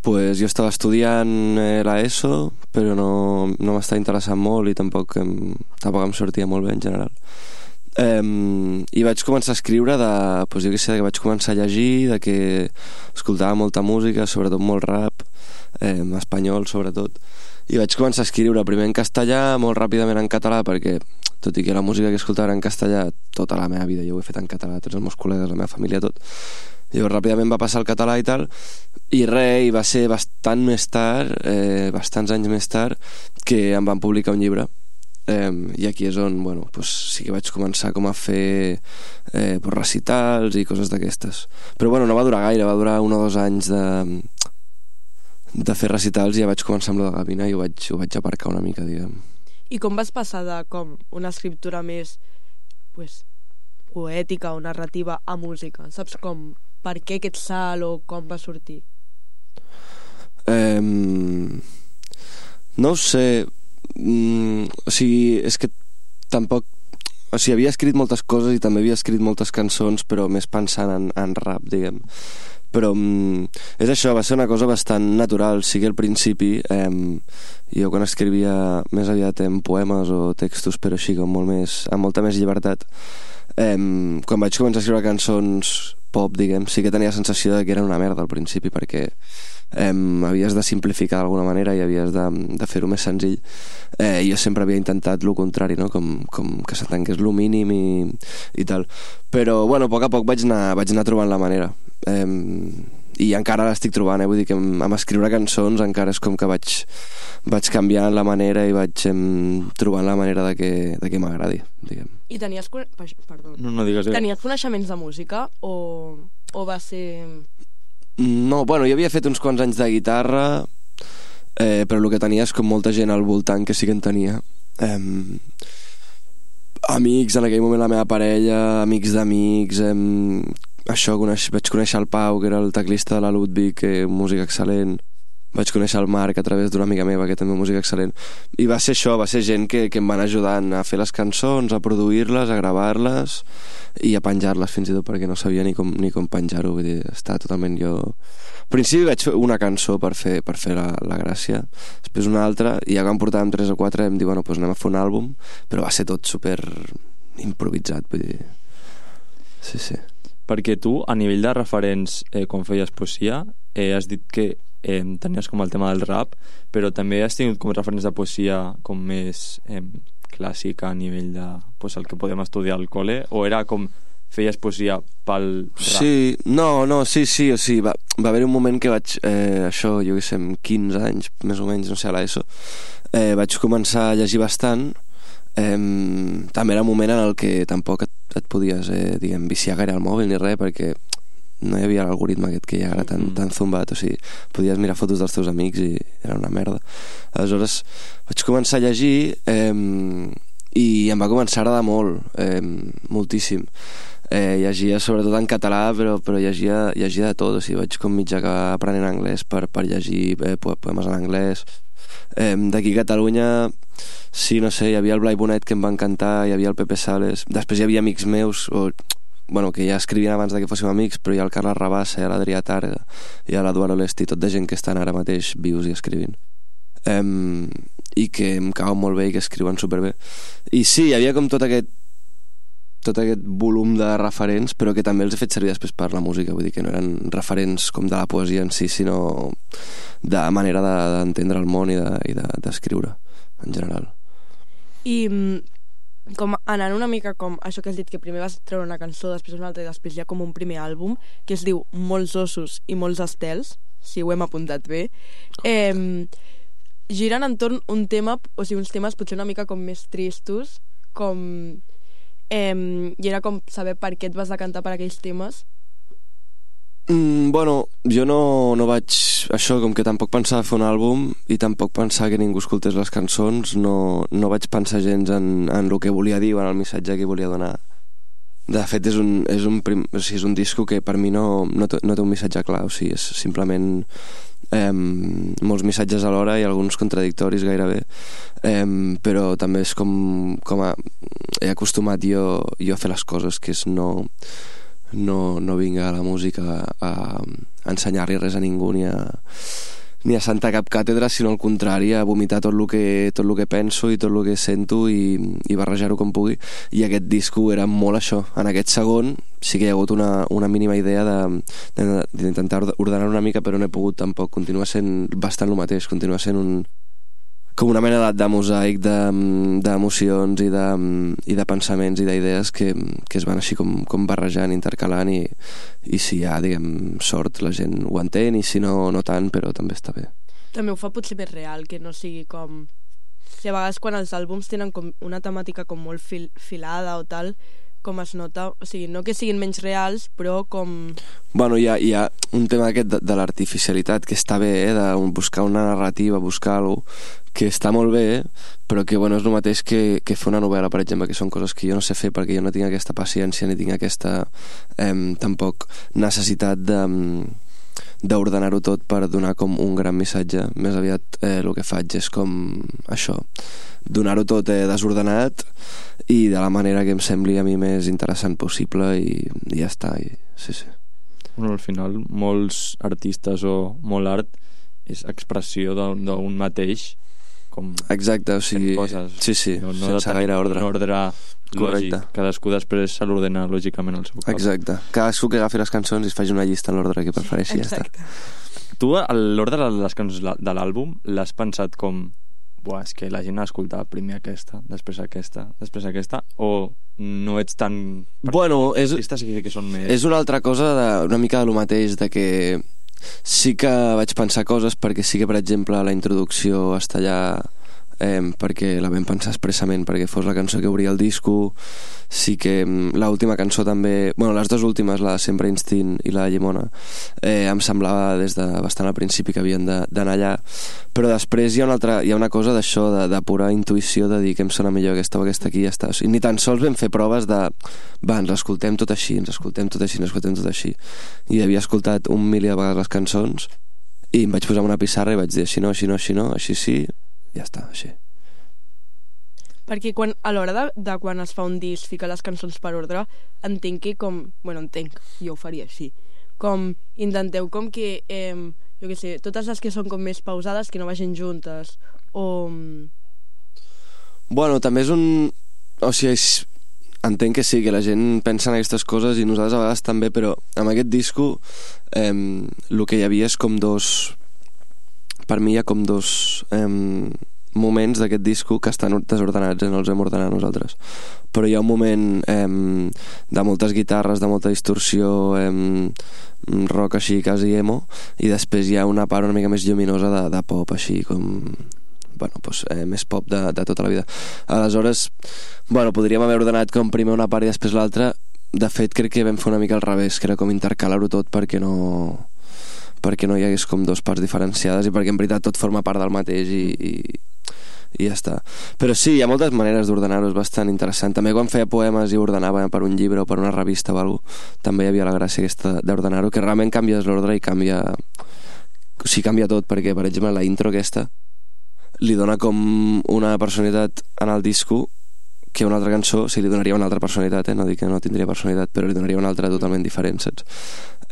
pues, jo estava estudiant l'ESO, però no m'estava interessant molt i tampoc em sortia molt bé en general. I vaig començar a escriure pues, jo què sé, que vaig començar a llegir, de que escoltava molta música, sobretot molt rap, espanyol sobretot, i vaig començar a escriure primer en castellà, molt ràpidament en català, perquè tot i que la música que escoltava era en castellà tota la meva vida, jo ho he fet en català, tots els meus col·legues, la meva família, tot. Llavors ràpidament va passar al català i tal, i res, i va ser bastant més tard, bastants anys més tard, que em van publicar un llibre. I aquí és on, bueno, pues, sí que vaig començar com a fer recitals i coses d'aquestes. Però bueno, no va durar gaire, va durar 1 o 2 anys de fer recitals i ja vaig començar amb la de Gavina i ho vaig aparcar una mica, diguem. I com vas passar de com una escriptura més pues, poètica o narrativa a música? Saps com? Per què aquest salt o com va sortir? No ho sé. O sigui, és que tampoc... O sigui, havia escrit moltes coses i també havia escrit moltes cançons, però més pensant en rap, diguem. Però és això, va ser una cosa bastant natural. Sí que al principi jo quan escrivia més aviat en poemes o textos, però així com molt més, amb molta més llibertat, quan vaig començar a escriure cançons pop, diguem, sí que tenia la sensació de que eren una merda al principi, perquè havies de simplificar d'alguna manera i havies de fer-ho més senzill. Jo sempre havia intentat lo contrari, no? com que s'atanqués lo mínim i tal, però bueno, a poc vaig anar trobant la manera, i encara l'estic trobant, vull dir que amb escriure cançons encara és com que vaig canviant la manera i vaig trobant la manera de que m'agradi, diguem. I tenies... Perdó. No digues. Tenies coneixements de música o va ser... No, bueno, jo havia fet uns quants anys de guitarra, però el que tenia és com molta gent al voltant que sí que en tenia. Amics, en aquell moment la meva parella, amics d'amics, això, vaig conèixer el Pau, que era el teclista de la Ludwig, música excel·lent. Vaig conèixer el Marc a través d'una amiga meva, que també música excel·lent. I va ser això, va ser gent que em van ajudant a fer les cançons, a produir-les, a gravar-les i a penjar-les fins i tot, perquè no sabia ni com penjar-ho. Vull dir, estava totalment jo... Al principi vaig fer una cançó per fer la gràcia, després una altra, i ja quan portàvem 3 o 4 em diu, bueno, doncs anem a fer un àlbum, però va ser tot super improvisat, vull dir... Sí. Perquè tu, a nivell de referents, quan feies poesia, has dit que tenies com el tema del rap, però també has tingut com referents de poesia com més clàssica a nivell de pues, el que podem estudiar al col·le, o era com feies poesia pel rap? Sí, sí, o sigui, va haver un moment que vaig, això, jo què sé, amb 15 anys, més o menys, no sé, a l'ESO, vaig començar a llegir bastant. També era un moment en el que tampoc et podies diguem, viciar gaire al mòbil ni res, perquè no hi havia l'algoritme aquest que hi ha ara tan zumbat, o sigui, podies mirar fotos dels teus amics i era una merda. Aleshores vaig començar a llegir i em va començar a agradar molt, moltíssim. llegia sobretot en català, però llegia de tot, o sigui, vaig com mig acabar aprenent anglès per llegir poemes en anglès. D'aquí a Catalunya, sí, no sé, hi havia el Blai Bonet, que em va encantar, hi havia el Pepe Sales, després hi havia amics meus, que ja escrivien abans que fóssim amics, però hi ha el Carles Rabassa, hi ha l'Adrià Targa, hi ha l'Eduard Olesti, tot de gent que estan ara mateix vius i escrivint. I que em cauen molt bé i que escriuen superbé. I sí, hi havia com tot aquest volum de referents, però que també els he fet servir després per la música, vull dir que no eren referents com de la poesia en si, sinó de manera d'entendre el món i d'escriure en general. I com anant una mica com això que has dit, que primer vas treure una cançó, després una altra i després hi ha com un primer àlbum que es diu Molts ossos i molts estels, si ho hem apuntat bé, giren entorn un tema, o sigui, uns temes potser una mica com més tristos, com i era com saber per què et vas decantar per aquells temes. Jo no vaig... Això, com que tampoc pensava fer un àlbum i tampoc pensava que ningú escoltés les cançons, no vaig pensar gens en el que volia dir o en el missatge que volia donar. De fet, és un disco que per mi no té un missatge clar, o sigui, és simplement molts missatges alhora i alguns contradictoris gairebé, però també és com he acostumat jo a fer les coses, que és no vinc a la música a ensenyar-li res a ningú ni a sentar cap càtedra, sinó al contrari, a vomitar tot el que penso i tot el que sento i barrejar-ho com pugui. I aquest disco era molt això. En aquest segon sí que hi ha hagut una mínima idea d'intentar ordenar una mica, però no he pogut tampoc. Continua sent bastant el mateix, continua sent com una mena de mosaic d'emocions i de pensaments i d'idees que es van així com barrejant, intercalant, i si hi ha, diguem, sort, la gent ho entén, i si no tant, però també està bé. També ho fa potser més real, que no sigui com... Si a vegades quan els àlbums tenen com una temàtica com molt filada o tal, com es nota, o sigui, no que siguin menys reals, però com... Hi ha un tema aquest de l'artificialitat que està bé, de buscar una narrativa, buscar alguna cosa que està molt bé, però que és el mateix que fer una novel·la, per exemple, que són coses que jo no sé fer perquè jo no tinc aquesta paciència ni tinc aquesta tampoc necessitat d'ordenar-ho tot per donar com un gran missatge. Més aviat el que faig és com això, donar-ho tot desordenat i de la manera que em sembli a mi més interessant possible, i ja està. Sí. Al final molts artistes o molt art és expressió d'un mateix, com... Exacte, o sigui... Sí, no sense gaire ordre. Un ordre lògic. Cadascú després se l'ordena lògicament al seu cap. Exacte. Cadascú que agafi les cançons i es faci una llista en l'ordre que prefereixi. Exacte. Ja està. Tu, l'ordre de les cançons de l'àlbum, l'has pensat com... és que la gent ha d'escoltar primer aquesta, després aquesta, o no ets tan... És una altra cosa, una mica de lo mateix, de que sí que vaig pensar coses, perquè sí que, per exemple, la introducció està allà perquè la vam pensar expressament perquè fos la cançó que obria el disco. Sí que l'última cançó també, les dues últimes, la de Sempre Instint i la de Llimona, em semblava des de bastant al principi que havien d'anar allà, però després hi ha una cosa d'això, de pura intuïció, de dir que em sona millor aquesta o aquesta aquí, ja està. I ni tan sols vam fer proves de ens escoltem tot així, i havia escoltat 1.000.000 de vegades les cançons i em vaig posar una pissarra i vaig dir així no, així sí, ja està, així. Perquè a l'hora de quan es fa un disc, ficar les cançons per ordre, entenc que jo ho faria així, com intenteu com que jo què sé, totes les que són com més pausades que no vagin juntes, o... També és un... O sigui, entenc que sí, que la gent pensa en aquestes coses i nosaltres a vegades també, però amb aquest disco el que hi havia és com per mi hi ha com dos moments d'aquest disco que estan desordenats, no els hem ordenat nosaltres, però hi ha un moment de moltes guitarres, de molta distorsió, rock així quasi emo, i després hi ha una part una mica més lluminosa de pop així com... més pop de tota la vida. Aleshores, podríem haver ordenat com primer una part i després l'altra. De fet, crec que vam fer una mica al revés, que era com intercalar-ho tot perquè no hi hagués com dos parts diferenciades i perquè en veritat tot forma part del mateix i ja està. Però sí, hi ha moltes maneres d'ordenar-ho, és bastant interessant. També quan feia poemes i ordenava per un llibre o per una revista o alguna cosa, també hi havia la gràcia aquesta d'ordenar-ho, que realment canvies l'ordre i canvia tot, perquè per exemple la intro aquesta li dona com una personalitat en el disco que una altra cançó, li donaria una altra personalitat, no dic que no tindria personalitat, però li donaria una altra totalment diferent, saps?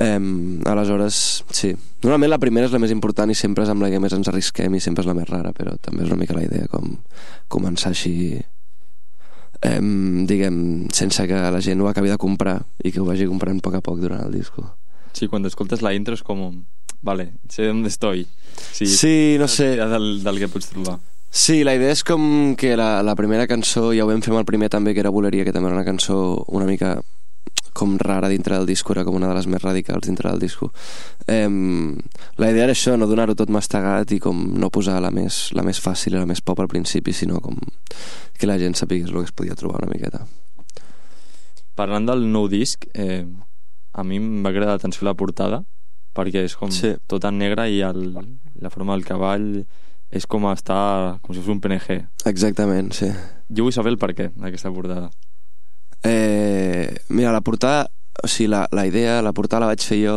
Aleshores, sí. Normalment la primera és la més important i sempre és amb la que més ens arrisquem i sempre és la més rara, però també és una mica la idea com començar així, diguem, sense que la gent ho acabi de comprar i que ho vagi comprant a poc durant el disco. Sí, quan escoltes la intro és com... Vale, sé on estoy. Sí, no sé. Del que pots trobar. Sí, la idea és com que la primera cançó, ja ho vam fer amb el primer també, que era Boleria, que també era una cançó una mica com rara dintre del disco, era com una de les més radicals dintre del disco. La idea era això, no donar-ho tot mastegat i com no posar la més fàcil i la més pop al principi, sinó com que la gent sapigués el que es podia trobar una miqueta. Parlant del nou disc, a mi em va cridar l'atenció la portada, perquè és com tot en negre i la forma del cavall és com si fos un PNG. Exactament, sí. Jo vull saber el perquè d'aquesta portada. Mira, la portada, o sigui, la idea, la portada la vaig fer jo,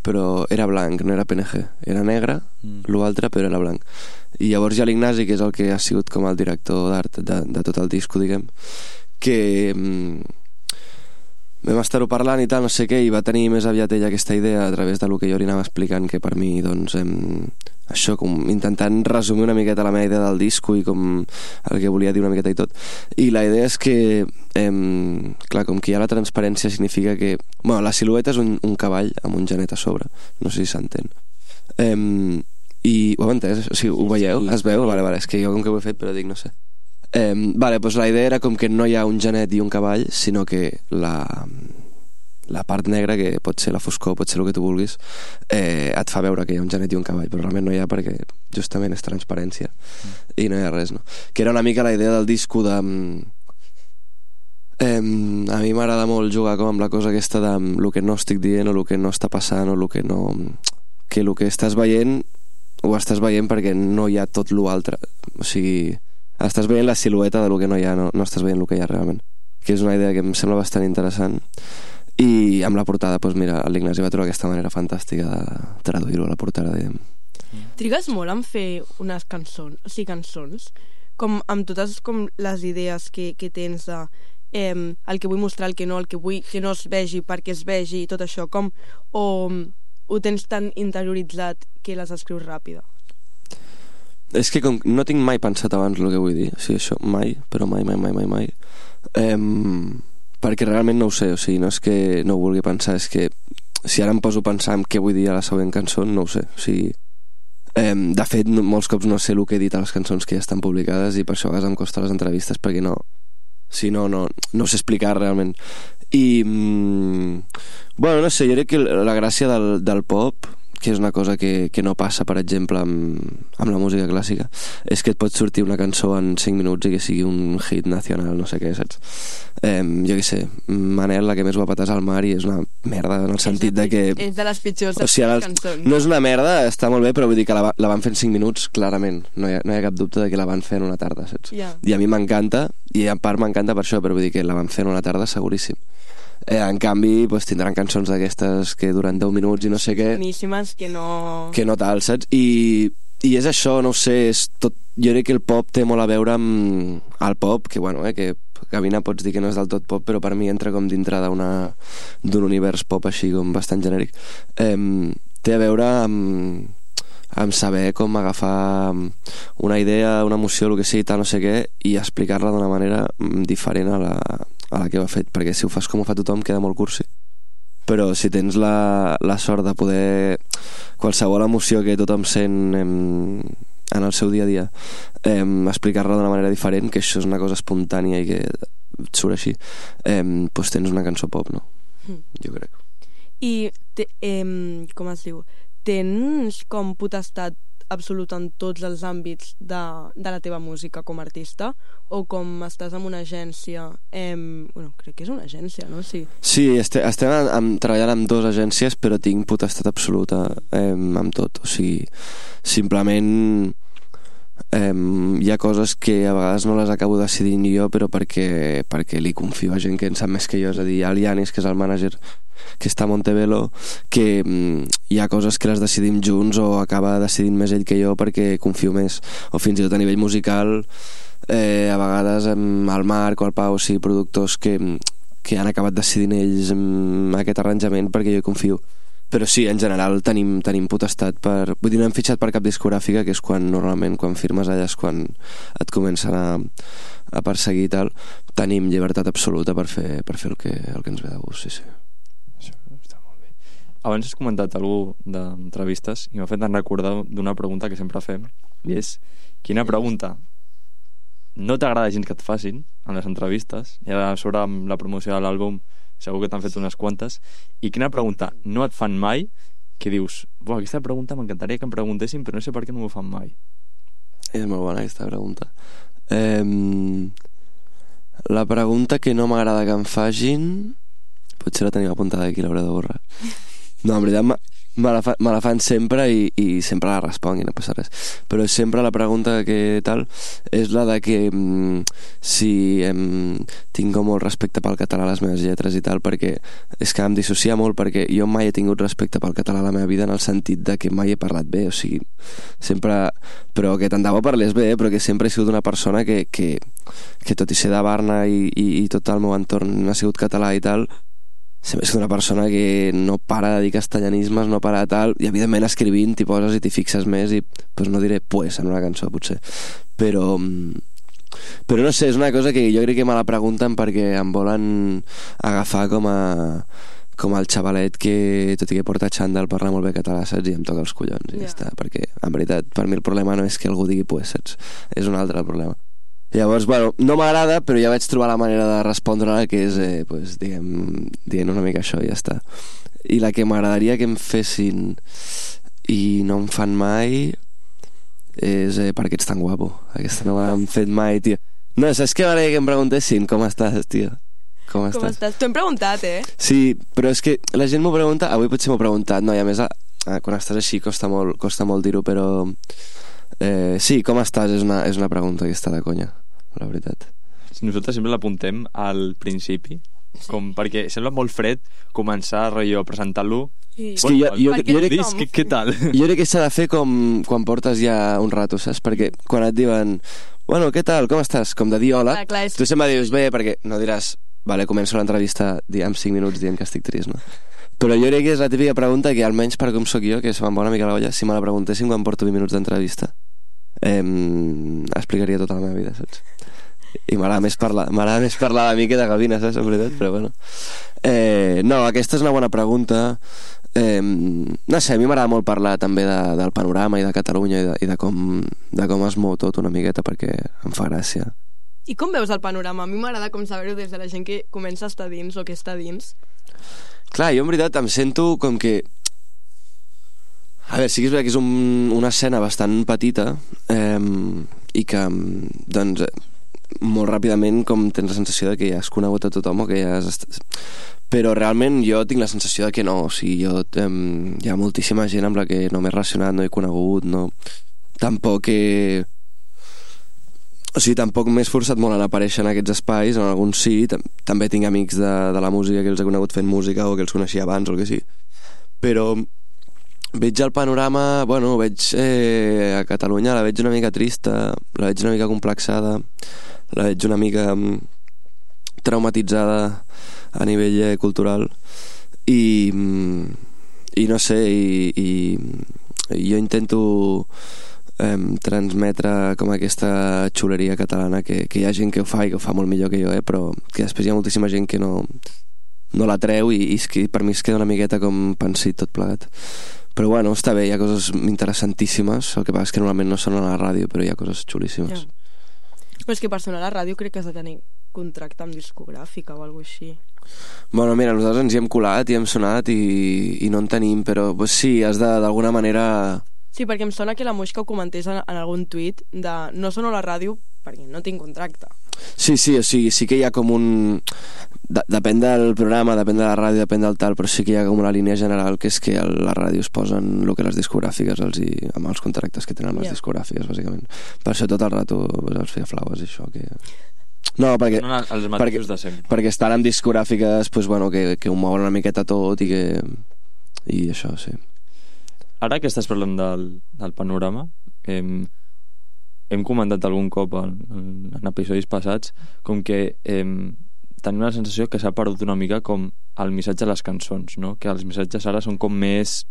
però era blanc, no era PNG. Era negre, l'altre, però era blanc. I llavors hi ha l'Ignasi, que és el que ha sigut com el director d'art de tot el disco, diguem, que vam estar-ho parlant i tal, no sé què, i va tenir més aviat ella aquesta idea a través de lo que jo li anava explicant, que per mi, doncs, això, com intentant resumir una miqueta la meva idea del disco i com el que volia dir una miqueta i tot. I la idea és que, clar, com que hi ha la transparència significa que... Bueno, la silueta és un cavall amb un genet a sobre, no sé si s'entén. I ho heu entès? O sigui, ho veieu? Es veu? Vale, és que jo com que ho he fet, però dic, no sé. Doncs la idea era com que no hi ha un genet i un cavall, sinó que la part negra, que pot ser la foscor, pot ser el que tu vulguis, et fa veure que hi ha un genet i un cavall, però realment no hi ha perquè justament és transparència i no hi ha res, no? Que era una mica la idea del disco de... a mi m'agrada molt jugar com amb la cosa aquesta de el que no estic dient o el que no està passant o el que no... que el que estàs veient ho estàs veient perquè no hi ha tot l'altre, o sigui... estàs veient la silueta de lo que no hi ha, no estàs veient el que hi ha realment, que és una idea que em sembla bastant interessant. I amb la portada, doncs mira, l'Ignasi va trobar aquesta manera fantàstica de traduir-ho a la portada. Trigues molt en fer unes cançons, com amb totes com les idees que tens de el que vull mostrar, el que no vull que no es vegi perquè es vegi, tot això, com o ho tens tan interioritzat que les escrius ràpida? És que com no tinc mai pensat abans el que vull dir, o sigui, això mai, però mai, perquè realment no ho sé, o sigui, no és que no ho vulgui pensar, és que si ara em poso a pensar en què vull dir a la següent cançó, no ho sé, o sigui, de fet molts cops no sé el que he dit a les cançons que ja estan publicades i per això a vegades em costa les entrevistes perquè no sé explicar realment. I bueno, no sé, jo crec que la gràcia del pop, que és una cosa que no passa, per exemple, amb la música clàssica, és que et pot sortir una cançó en 5 minuts i que sigui un hit nacional, no sé què, saps? Jo què sé, Manel, la que més guapa t'has al mar, i és una merda en el sentit de que... És de les pitjors cançons. No és una merda, està molt bé, però vull dir que la van fer en 5 minuts, clarament. No hi ha cap dubte de que la van fer en una tarda, saps? Yeah. I a mi m'encanta, i en part m'encanta per això, però vull dir que la van fer en una tarda seguríssim. En canvi, doncs, tindran cançons d'aquestes que duren 10 minuts i no sé què, boníssimes, que no tal, saps? I és això, no ho sé, és tot... Jo crec que el pop té molt a veure amb el pop, que bueno, que Gavina pots dir que no és del tot pop, però per mi entra com dintre d'un univers pop així com bastant genèric. Té a veure amb saber com agafar una idea, una emoció, el que sigui, tal, no sé què, i explicar-la d'una manera diferent a la que ho ha fet, perquè si ho fas com ho fa tothom queda molt cursi. Però si tens la sort de poder qualsevol emoció que tothom sent en el seu dia a dia explicar-la d'una manera diferent, que això és una cosa espontània i que et surt així, doncs tens una cançó pop, no? Jo crec. I com es diu? Tens com potestat absoluta en tots els àmbits de la teva música com a artista, o com estàs en una agència, bueno, crec que és una agència, no? Sí, estem treballant amb 2 agències, però tinc potestat absoluta amb tot, o sigui, simplement hi ha coses que a vegades no les acabo decidint jo, però perquè li confio a gent que en sap més que jo, és a dir, al Yanis, que és el mànager que està a Montevelo, que hi ha coses que les decidim junts o acaba decidint més ell que jo perquè confio més, o fins i tot a nivell musical a vegades el Marc o el Pau, sí, productors que han acabat decidint ells aquest arranjament perquè jo hi confio. Però sí, en general tenim potestat per... Vull dir, no hem fitxat per cap discogràfica, que és normalment quan firmes allà és quan et comencen a perseguir i tal. Tenim llibertat absoluta per fer el que ens ve de gust, sí. Això està molt bé. Abans has comentat alguna d'entrevistes i m'ha fet recordar d'una pregunta que sempre fem, i és: quina pregunta no t'agrada gens que et facin en les entrevistes, i ara sobre la promoció de l'àlbum segur que t'han fet unes quantes, i quina pregunta no et fan mai que dius, aquesta pregunta m'encantaria que em preguntessin però no sé per què no m'ho fan mai? És molt bona aquesta pregunta. La pregunta que no m'agrada que em facin, potser la tenim apuntada aquí, l'hauré de borrar. No, en veritat me la fan sempre i sempre la responc i no passa res, però sempre la pregunta que tal és la de que si tinc molt respecte pel català a les meves lletres i tal, perquè és que em dissocia molt, perquè jo mai he tingut respecte pel català a la meva vida, en el sentit de que mai he parlat bé, o sigui, sempre, però que tant de bo parlés bé, però que sempre he sigut una persona que tot i ser de Barna i tot el meu entorn ha sigut català i tal, sempre he sigut una persona que no para de dir castellanismes, no para de tal, i evidentment escrivint t'hi poses i t'hi fixes més i pues no diré pues en una cançó potser, però no sé, és una cosa que jo crec que me la pregunten perquè em volen agafar com el xavalet que tot i que porta xandall parla molt bé català, saps? I em toca els collons i ja està, perquè en veritat per mi el problema no és que algú digui pues, saps? És un altre el problema. Llavors, bueno, no m'agrada, però ja vaig trobar la manera de respondre-la, que és, pues, dient una mica això i ja està. I la que m'agradaria que em fessin i no em fan mai és per què ets tan guapo. Aquesta no m'han fet mai, tio. No, saps què m'agradaria que em preguntessin? Com estàs, tio? Com estàs? T'ho hem preguntat, Sí, però és que la gent m'ho pregunta, avui potser m'ho he preguntat, no, i a més quan estàs així costa molt dir-ho, però sí, com estàs és una pregunta que està de conya, la veritat. Nosaltres sempre l'apuntem al principi, com perquè sembla molt fred començar a presentar-lo. És que què tal? Jo crec que s'ha de fer com quan portes ja un rato, saps? Perquè quan et diuen bueno, què tal, com estàs? Com de dir hola, tu sempre dius bé, perquè no diràs vale, començo l'entrevista en 5 minuts dient que estic trist, no? Però jo crec que és la típica pregunta que almenys per com sóc jo, que se me'n va una mica la olla, si me la preguntessin quan porto 20 minuts d'entrevista explicaria tota la meva vida, saps? I m'agrada més parlar de mi que de gavina, saps? En veritat, però bueno. No, aquesta és una bona pregunta. No sé, a mi m'agrada molt parlar també del panorama i de Catalunya i de com es mou tot una miqueta, perquè em fa gràcia. I com veus el panorama? A mi m'agrada com saber-ho des de la gent que comença a estar dins o que està dins. Clar, jo en veritat em sento com que... A veure, sí que és veritat que és una escena bastant petita i que, doncs, molt ràpidament com tens la sensació de que ja has conegut a tothom o que ja has... Però realment jo tinc la sensació de que no, o sigui, hi ha moltíssima gent amb la que no m'he relacionat, no he conegut, no... Tampoc he... O sigui, tampoc m'he esforçat molt en aparèixer en aquests espais, en alguns sí, també tinc amics de la música que els he conegut fent música o que els coneixia abans o el que sí, però veig el panorama, bueno, veig a Catalunya, la veig una mica trista, la veig una mica complexada, la veig una mica traumatitzada a nivell cultural i no sé, i jo intento transmetre com aquesta xuleria catalana que hi ha gent que ho fa i que ho fa molt millor que jo, però que després hi ha moltíssima gent que no la treu i per mi es queda una miqueta com pensit tot plegat. Però bueno, està bé, hi ha coses interessantíssimes, el que passa és que normalment no sonen a la ràdio, però hi ha coses xulíssimes. Però és que per sonar a la ràdio crec que has de tenir contracte amb discogràfica o alguna cosa així. Bueno, mira, nosaltres ens hi hem colat i hem sonat i no en tenim, però pues, sí, has d'alguna manera... Sí, perquè em sona que la Moixca ho comentés en algun tuit de no sono a la ràdio perquè no tinc contracte. Sí, o sigui, sí que hi ha com un... Depèn del programa, depèn de la ràdio, depèn del tal, però sí que hi ha com una línia general que és que les ràdios posen el que les discogràfiques amb els contractes que tenen les discogràfiques, bàsicament. Per això tot el rato els feia flaues, això, que... No, perquè... No, els mateixos de sempre. Perquè estan amb discogràfiques, pues, bueno, que ho mouen una miqueta tot i que... I això, sí. Ara que estàs parlant del panorama, hem comentat algun cop en episodis passats com que tenim la sensació que s'ha perdut una mica com el missatge de les cançons, no? Que els missatges ara són com més...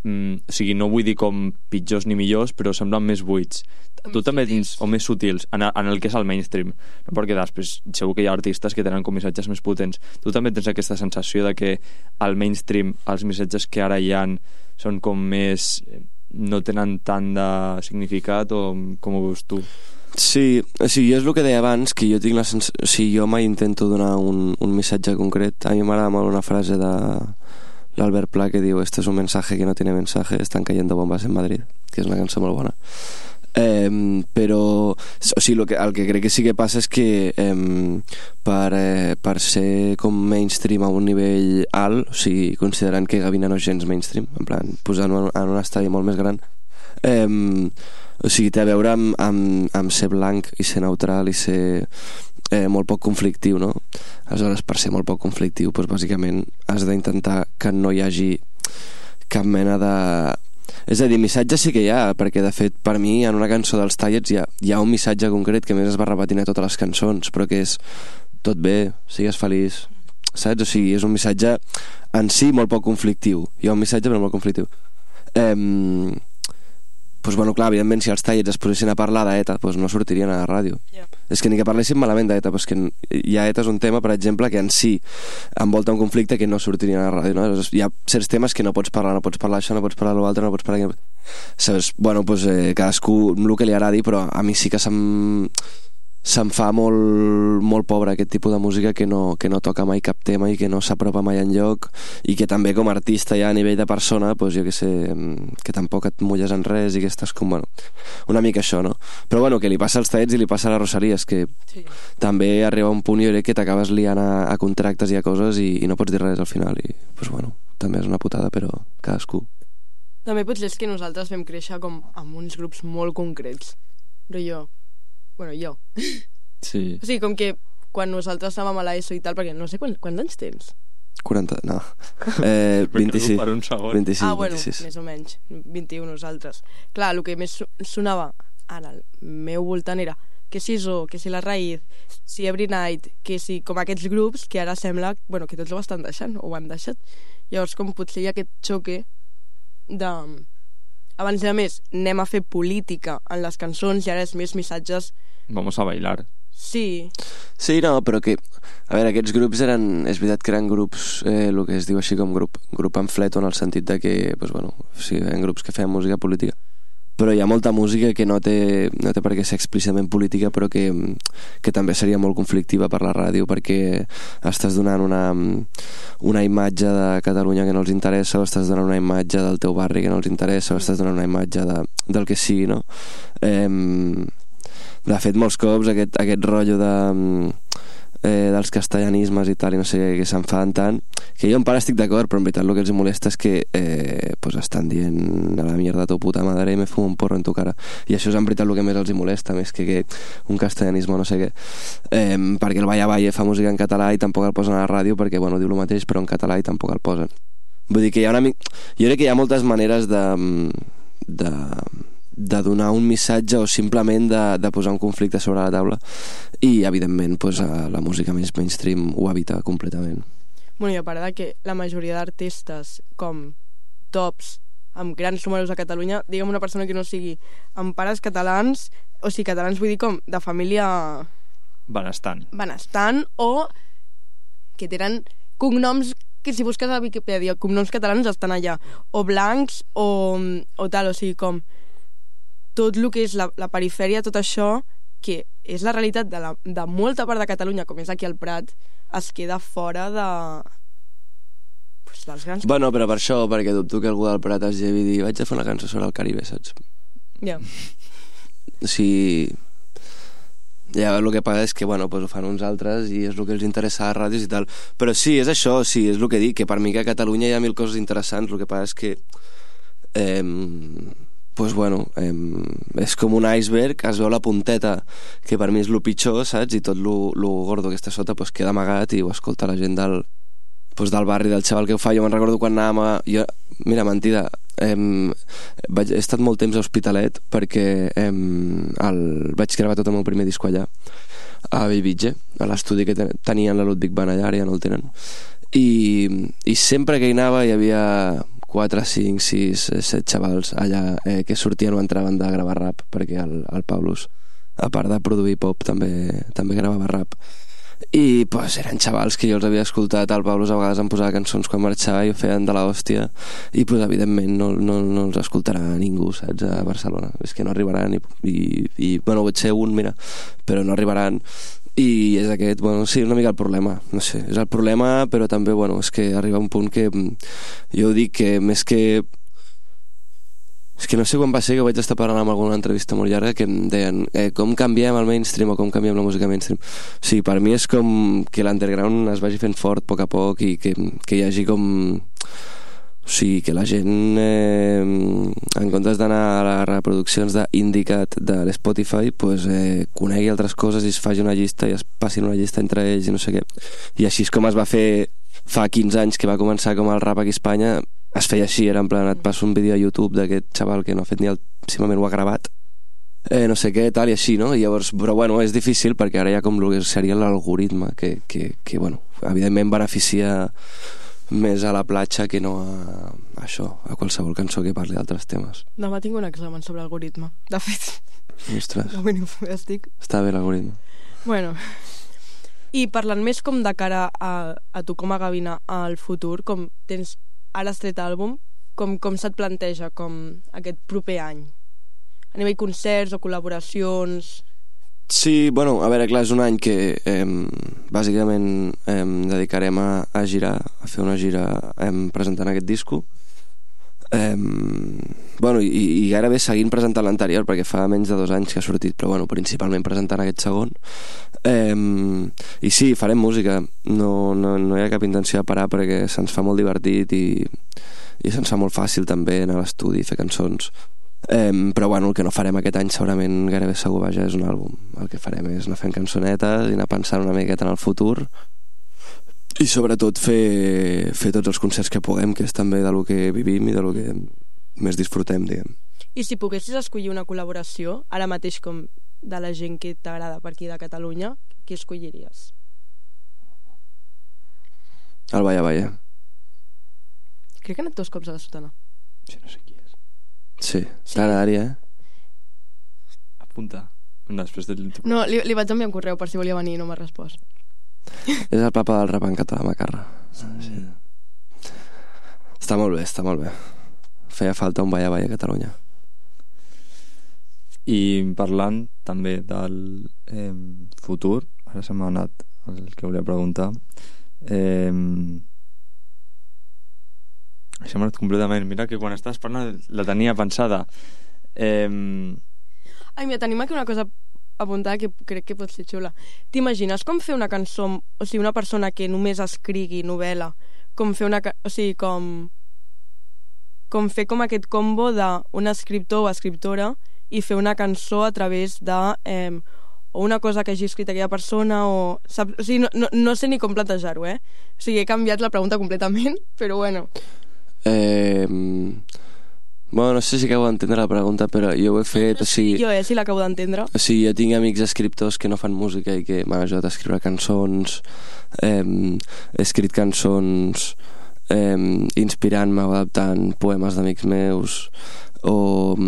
o sigui, no vull dir com pitjors ni millors, però semblen més buits. Tu també tens, o més sutils, en el que és el mainstream, no? Perquè després segur que hi ha artistes que tenen com missatges més potents. Tu també tens aquesta sensació de que al mainstream els missatges que ara hi ha són com més... no tenen tant de significat, o com ho veus tu? Sí, o sigui, és el que deia abans, que jo tinc la sensació... O sigui, jo mai intento donar un missatge concret. A mi m'agrada molt una frase de l'Albert Pla que diu: "Este es un mensaje que no tiene mensaje, están cayendo bombas en Madrid", que és una cançó molt bona. Però o sigui, el que crec que sí que passa és que per ser com mainstream a un nivell alt, o sigui, considerant que Gavina no és gens mainstream, en plan, posant-ho en un estadi molt més gran, o sigui, té a veure amb ser blanc i ser neutral i ser molt poc conflictiu, no? Aleshores, per ser molt poc conflictiu, doncs bàsicament has d'intentar que no hi hagi cap mena de... És a dir, missatge sí que hi ha, perquè de fet per mi en una cançó dels Tallets hi ha un missatge concret que a més es va repetint a totes les cançons, però que és: tot bé, sigues feliç, saps? O sigui, és un missatge en si molt poc conflictiu. Hi ha un missatge però molt conflictiu. Doncs bueno, clar, evidentment si els Tallets es posessin a parlar d'ETA, doncs no sortirien a la ràdio. És que ni que parlessin malament d'ETA, doncs que hi ha ETA és un tema, per exemple, que en si envolta un conflicte que no sortirien a la ràdio, no? Hi ha certs temes que no pots parlar això, no pots parlar l'altre, no pots parlar... Saps? Bueno, doncs cadascú el que li agradi, però a mi sí que se'm fa molt pobre aquest tipus de música que no toca mai cap tema i que no s'apropa mai enlloc, i que també com a artista ja a nivell de persona, doncs jo que sé, que tampoc et mulles en res i que estàs com, bueno, una mica això, no? Però bueno, que li passa als Tallets i li passa a la Rosalía, és que sí, també arriba un punt, jo crec, que t'acabes liant a contractes i a coses i no pots dir res al final, i doncs bueno, també és una putada, però cadascú. També potser és que nosaltres vam créixer com amb uns grups molt concrets, però jo sí. O sigui, com que quan nosaltres estàvem a l'ESO i tal, perquè no sé quants anys tens? 40, no 26. Per un segon. 26, bueno, 26. més o menys 21 nosaltres. Clar, el que més sonava en el meu voltant era que si Zo, que si La Raïz, si Every Night, que si com aquests grups que ara sembla, bueno, que tots ho estan deixant o ho han deixat. Llavors com potser hi ha aquest xoque de... Abans de més anem a fer política en les cançons i ara és més missatges... Vamos a bailar. Sí. Sí, no, però que... A veure, aquests grups eren... És veritat que eren grups, el que es diu així com grup pamfleto, en el sentit de que, doncs, bueno, sí, eren grups que feien música política. Però hi ha molta música que no té per què ser explícitament política, però que també seria molt conflictiva per la ràdio, perquè estàs donant una imatge de Catalunya que no els interessa, o estàs donant una imatge del teu barri que no els interessa, o estàs donant una imatge del que sigui, no? De fet, molts cops aquest rotllo dels castellanismes i tal, i no sé què, que s'enfaden tant, que jo en part estic d'acord, però en veritat el que els molesta és que pues estan dient a la mierda tu puta madre, me fumo un porro en tu cara, i això és en veritat el que més els molesta, més que un castellanisme no sé què, perquè el Vaya Valle fa música en català i tampoc el posen a la ràdio perquè, bueno, diu el mateix però en català i tampoc el posen. Vull dir que hi ha jo crec que hi ha moltes maneres de donar un missatge o simplement de posar un conflicte sobre la taula, i evidentment pues, la música més mainstream ho evita completament. Bueno, i a part de que la majoria d'artistes com tops amb grans números a Catalunya, diguem una persona que no sigui amb pares catalans, o sigui, catalans vull dir com de família benestant, o que tenen cognoms que si busques a Wikipedia cognoms catalans estan allà, o blancs o tal, o sigui, com tot el que és la perifèria, tot això que és la realitat de molta part de Catalunya, com és aquí al Prat, es queda fora dels grans... Bueno, però per això, perquè dubto que algú del Prat es llevi i digui vaig a fer una cançó sobre el Caribe, saps? Ja. O sigui... Ja el que passa és que, bueno, pues ho fan uns altres i és el que els interessa a les ràdios i tal. Però sí, és això, sí, és el que dic, que per mi que a Catalunya hi ha mil coses interessants, el que passa és que pues bueno, és com un iceberg, es veu la punteta, que per mi és lo pitjor, saps? I tot lo gordo que està sota pues queda amagat i ho escolta la gent del barri, del xaval que ho fa. Jo me'n recordo quan anàvem a... Mira, mentida, he estat molt temps a Hospitalet perquè vaig gravar tot el meu primer disco allà, a Bellvitge, a l'estudi que tenien la Ludwig van allà, ara ja no el tenen. I sempre que hi anava hi havia 4, 5, 6, 7 xavals allà que sortien o entraven de gravar rap, perquè el Paulus, a part de produir pop, també gravava rap. I pues eren xavals que jo els havia escoltat. El Paulus a vegades em posava cançons quan marxava i ho feien de l'hòstia, i pues evidentment no els escoltarà ningú, saps, a Barcelona. És que no arribaran i bueno, pot ser un, mira, però no arribaran. I és aquest, bueno, sí, una mica el problema, no sé, és el problema, però també, bueno, és que arriba un punt que jo dic que més que... És que no sé quan va ser que vaig estar parlant amb alguna entrevista molt llarga que em deien com canviem el mainstream o com canviem la música mainstream. Sí, per mi és com que l'underground es vagi fent fort a poc i que hi hagi com... O sigui, que la gent en comptes d'anar a les reproduccions d'Indicat de l'Spotify pues, conegui altres coses i es faci una llista i es passin una llista entre ells i no sé què. I així és com es va fer fa 15 anys que va començar com el rap aquí a Espanya. Es feia així, era en plan, et passo un vídeo a YouTube d'aquest xaval que no ha fet ni simplement ho ha gravat, no sé què, tal i així, no? I llavors, però bueno, és difícil perquè ara hi ha com el que seria l'algoritme que bueno, evidentment beneficia més a la platja que no a això, a qualsevol cançó que parli d'altres temes. Demà tinc un examen sobre algoritme, de fet. Ostres, Està bé l'algoritme. Bueno, i parlant més com de cara a tu com a Gavina al futur, com tens... Ara has tret àlbum, com se't planteja com aquest proper any? A nivell concerts o col·laboracions? Sí, bueno, a veure, clar, és un any que bàsicament dedicarem a girar, a fer una gira presentant aquest disco. Bueno, i gairebé seguint presentant l'anterior, perquè fa menys de 2 anys que ha sortit, però bueno, principalment presentant aquest segon. I sí, farem música, no hi ha cap intenció de parar perquè se'ns fa molt divertit i se'ns fa molt fàcil també anar a l'estudi i fer cançons, però bueno, el que no farem aquest any segurament gairebé segur, vaja, és un àlbum. El que farem és anar fent cançonetes i anar pensant una miqueta en el futur i sobretot fer tots els concerts que puguem, que és també de lo que vivim i de lo que més disfrutem, diguem. I si poguessis escollir una col·laboració ara mateix com de la gent que t'agrada per aquí de Catalunya, qui escolliries? El Baya Baya. Crec que ha anat 2 cops a la Sotana. Sí, no sé qui és. Sí, t'agradaria, Apunta. Després del... No, li vaig enviar un correu per si volia venir i no m'ha respost. És el papa del rap en català, Macarra. Sí. Està molt bé. Feia falta un Baya Baya a Catalunya. I parlant també del futur, ara se m'ha anat el que volia preguntar, això m'ha anat completament. Mira que quan estàs parlant la tenia pensada. Ai, mira, tenim aquí una cosa apuntada que crec que pot ser xula. T'imagines com fer una cançó, o sigui, una persona que només escrigui novel·la, com fer una... O sigui, com fer com aquest combo d'un escriptor o escriptora i fer una cançó a través de o una cosa que hagi escrit aquella persona o sigui, no sé ni com plantejar-ho, O sigui, he canviat la pregunta completament, però bueno. Bueno, no sé si acabo d'entendre la pregunta, però jo ho he fet... No, sí, jo sí l'acabo d'entendre. O sigui, jo tinc amics escriptors que no fan música i que m'han ajudat a escriure cançons, he escrit cançons inspirant-me o adaptant poemes d'amics meus o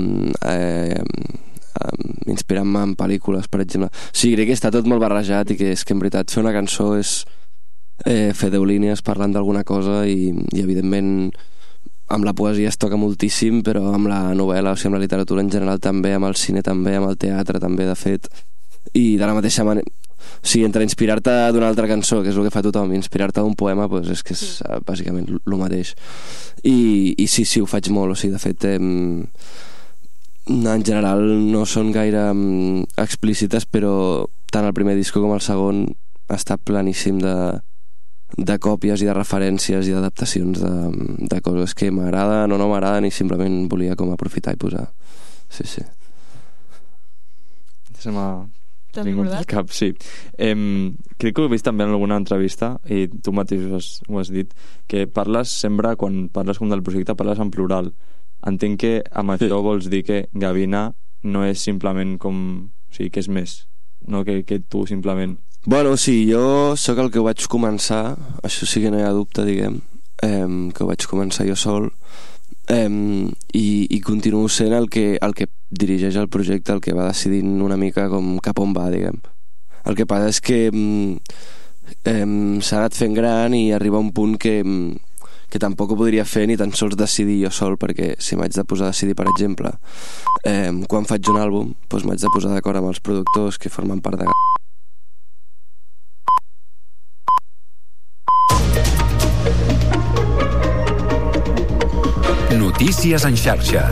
inspirant-me en pel·lícules, per exemple. O sigui, crec que està tot molt barrejat i que és que en veritat fer una cançó és fer 10 línies parlant d'alguna cosa i evidentment amb la poesia es toca moltíssim, però amb la novel·la, o sigui, amb la literatura en general també, amb el cine també, amb el teatre també, de fet, i de la mateixa manera, o sigui, entre inspirar-te d'una altra cançó, que és el que fa tothom, i inspirar-te d'un poema, doncs és que és bàsicament el mateix. I sí, ho faig molt, o sigui, de fet, en general no són gaire explícites, però tant el primer disco com el segon està planíssim de còpies i de referències i d'adaptacions de coses que m'agraden o no m'agraden, i simplement volia com aprofitar i posar. Sí. Se m'ha vingut al cap, sí. Crec que ho he vist també en alguna entrevista, i tu mateix ho has dit, que sempre, quan parles com del projecte, parles en plural. Entenc que amb això vols dir que Gavina no és simplement com... O sigui, que és més, no que tu simplement... Bueno, sí, jo sóc el que ho vaig començar, això sí que no hi ha dubte, diguem, que ho vaig començar jo sol, i continuo sent el que dirigeix el projecte, el que va decidint una mica com cap on va, diguem. El que passa és que s'ha anat fent gran i arriba un punt que tampoc ho podria fer ni tan sols decidir jo sol, perquè si m'haig de posar a decidir, per exemple, quan faig un àlbum, doncs m'haig de posar d'acord amb els productors que formen part de... Notícies en xarxa.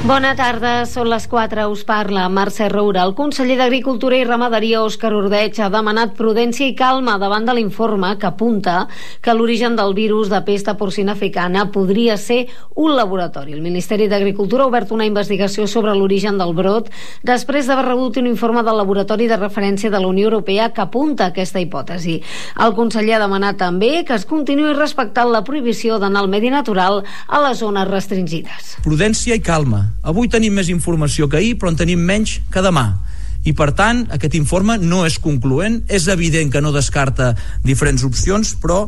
Bona tarda, són les 4, us parla Mercè Roura. El conseller d'Agricultura i Ramaderia, Òscar Ordeig, ha demanat prudència i calma davant de l'informe que apunta que l'origen del virus de pesta porcina africana podria ser un laboratori. El Ministeri d'Agricultura ha obert una investigació sobre l'origen del brot després d'haver rebut un informe del laboratori de referència de la Unió Europea que apunta a aquesta hipòtesi. El conseller ha demanat també que es continuï respectant la prohibició d'anar al medi natural a les zones restringides. Prudència i calma. Avui tenim més informació que ahir, però en tenim menys que demà. I, per tant, aquest informe no és concloent. És evident que no descarta diferents opcions, però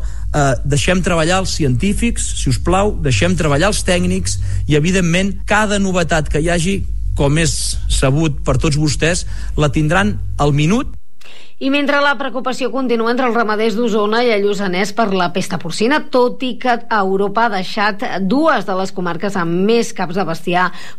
deixem treballar els científics, si us plau, deixem treballar els tècnics i, evidentment, cada novetat que hi hagi, com és sabut per tots vostès, la tindran al minut. I mentre la preocupació continua entre els ramaders d'Osona i el Lluçanès per la pesta porcina, tot i que Europa ha deixat dues de les comarques amb més caps de bestiar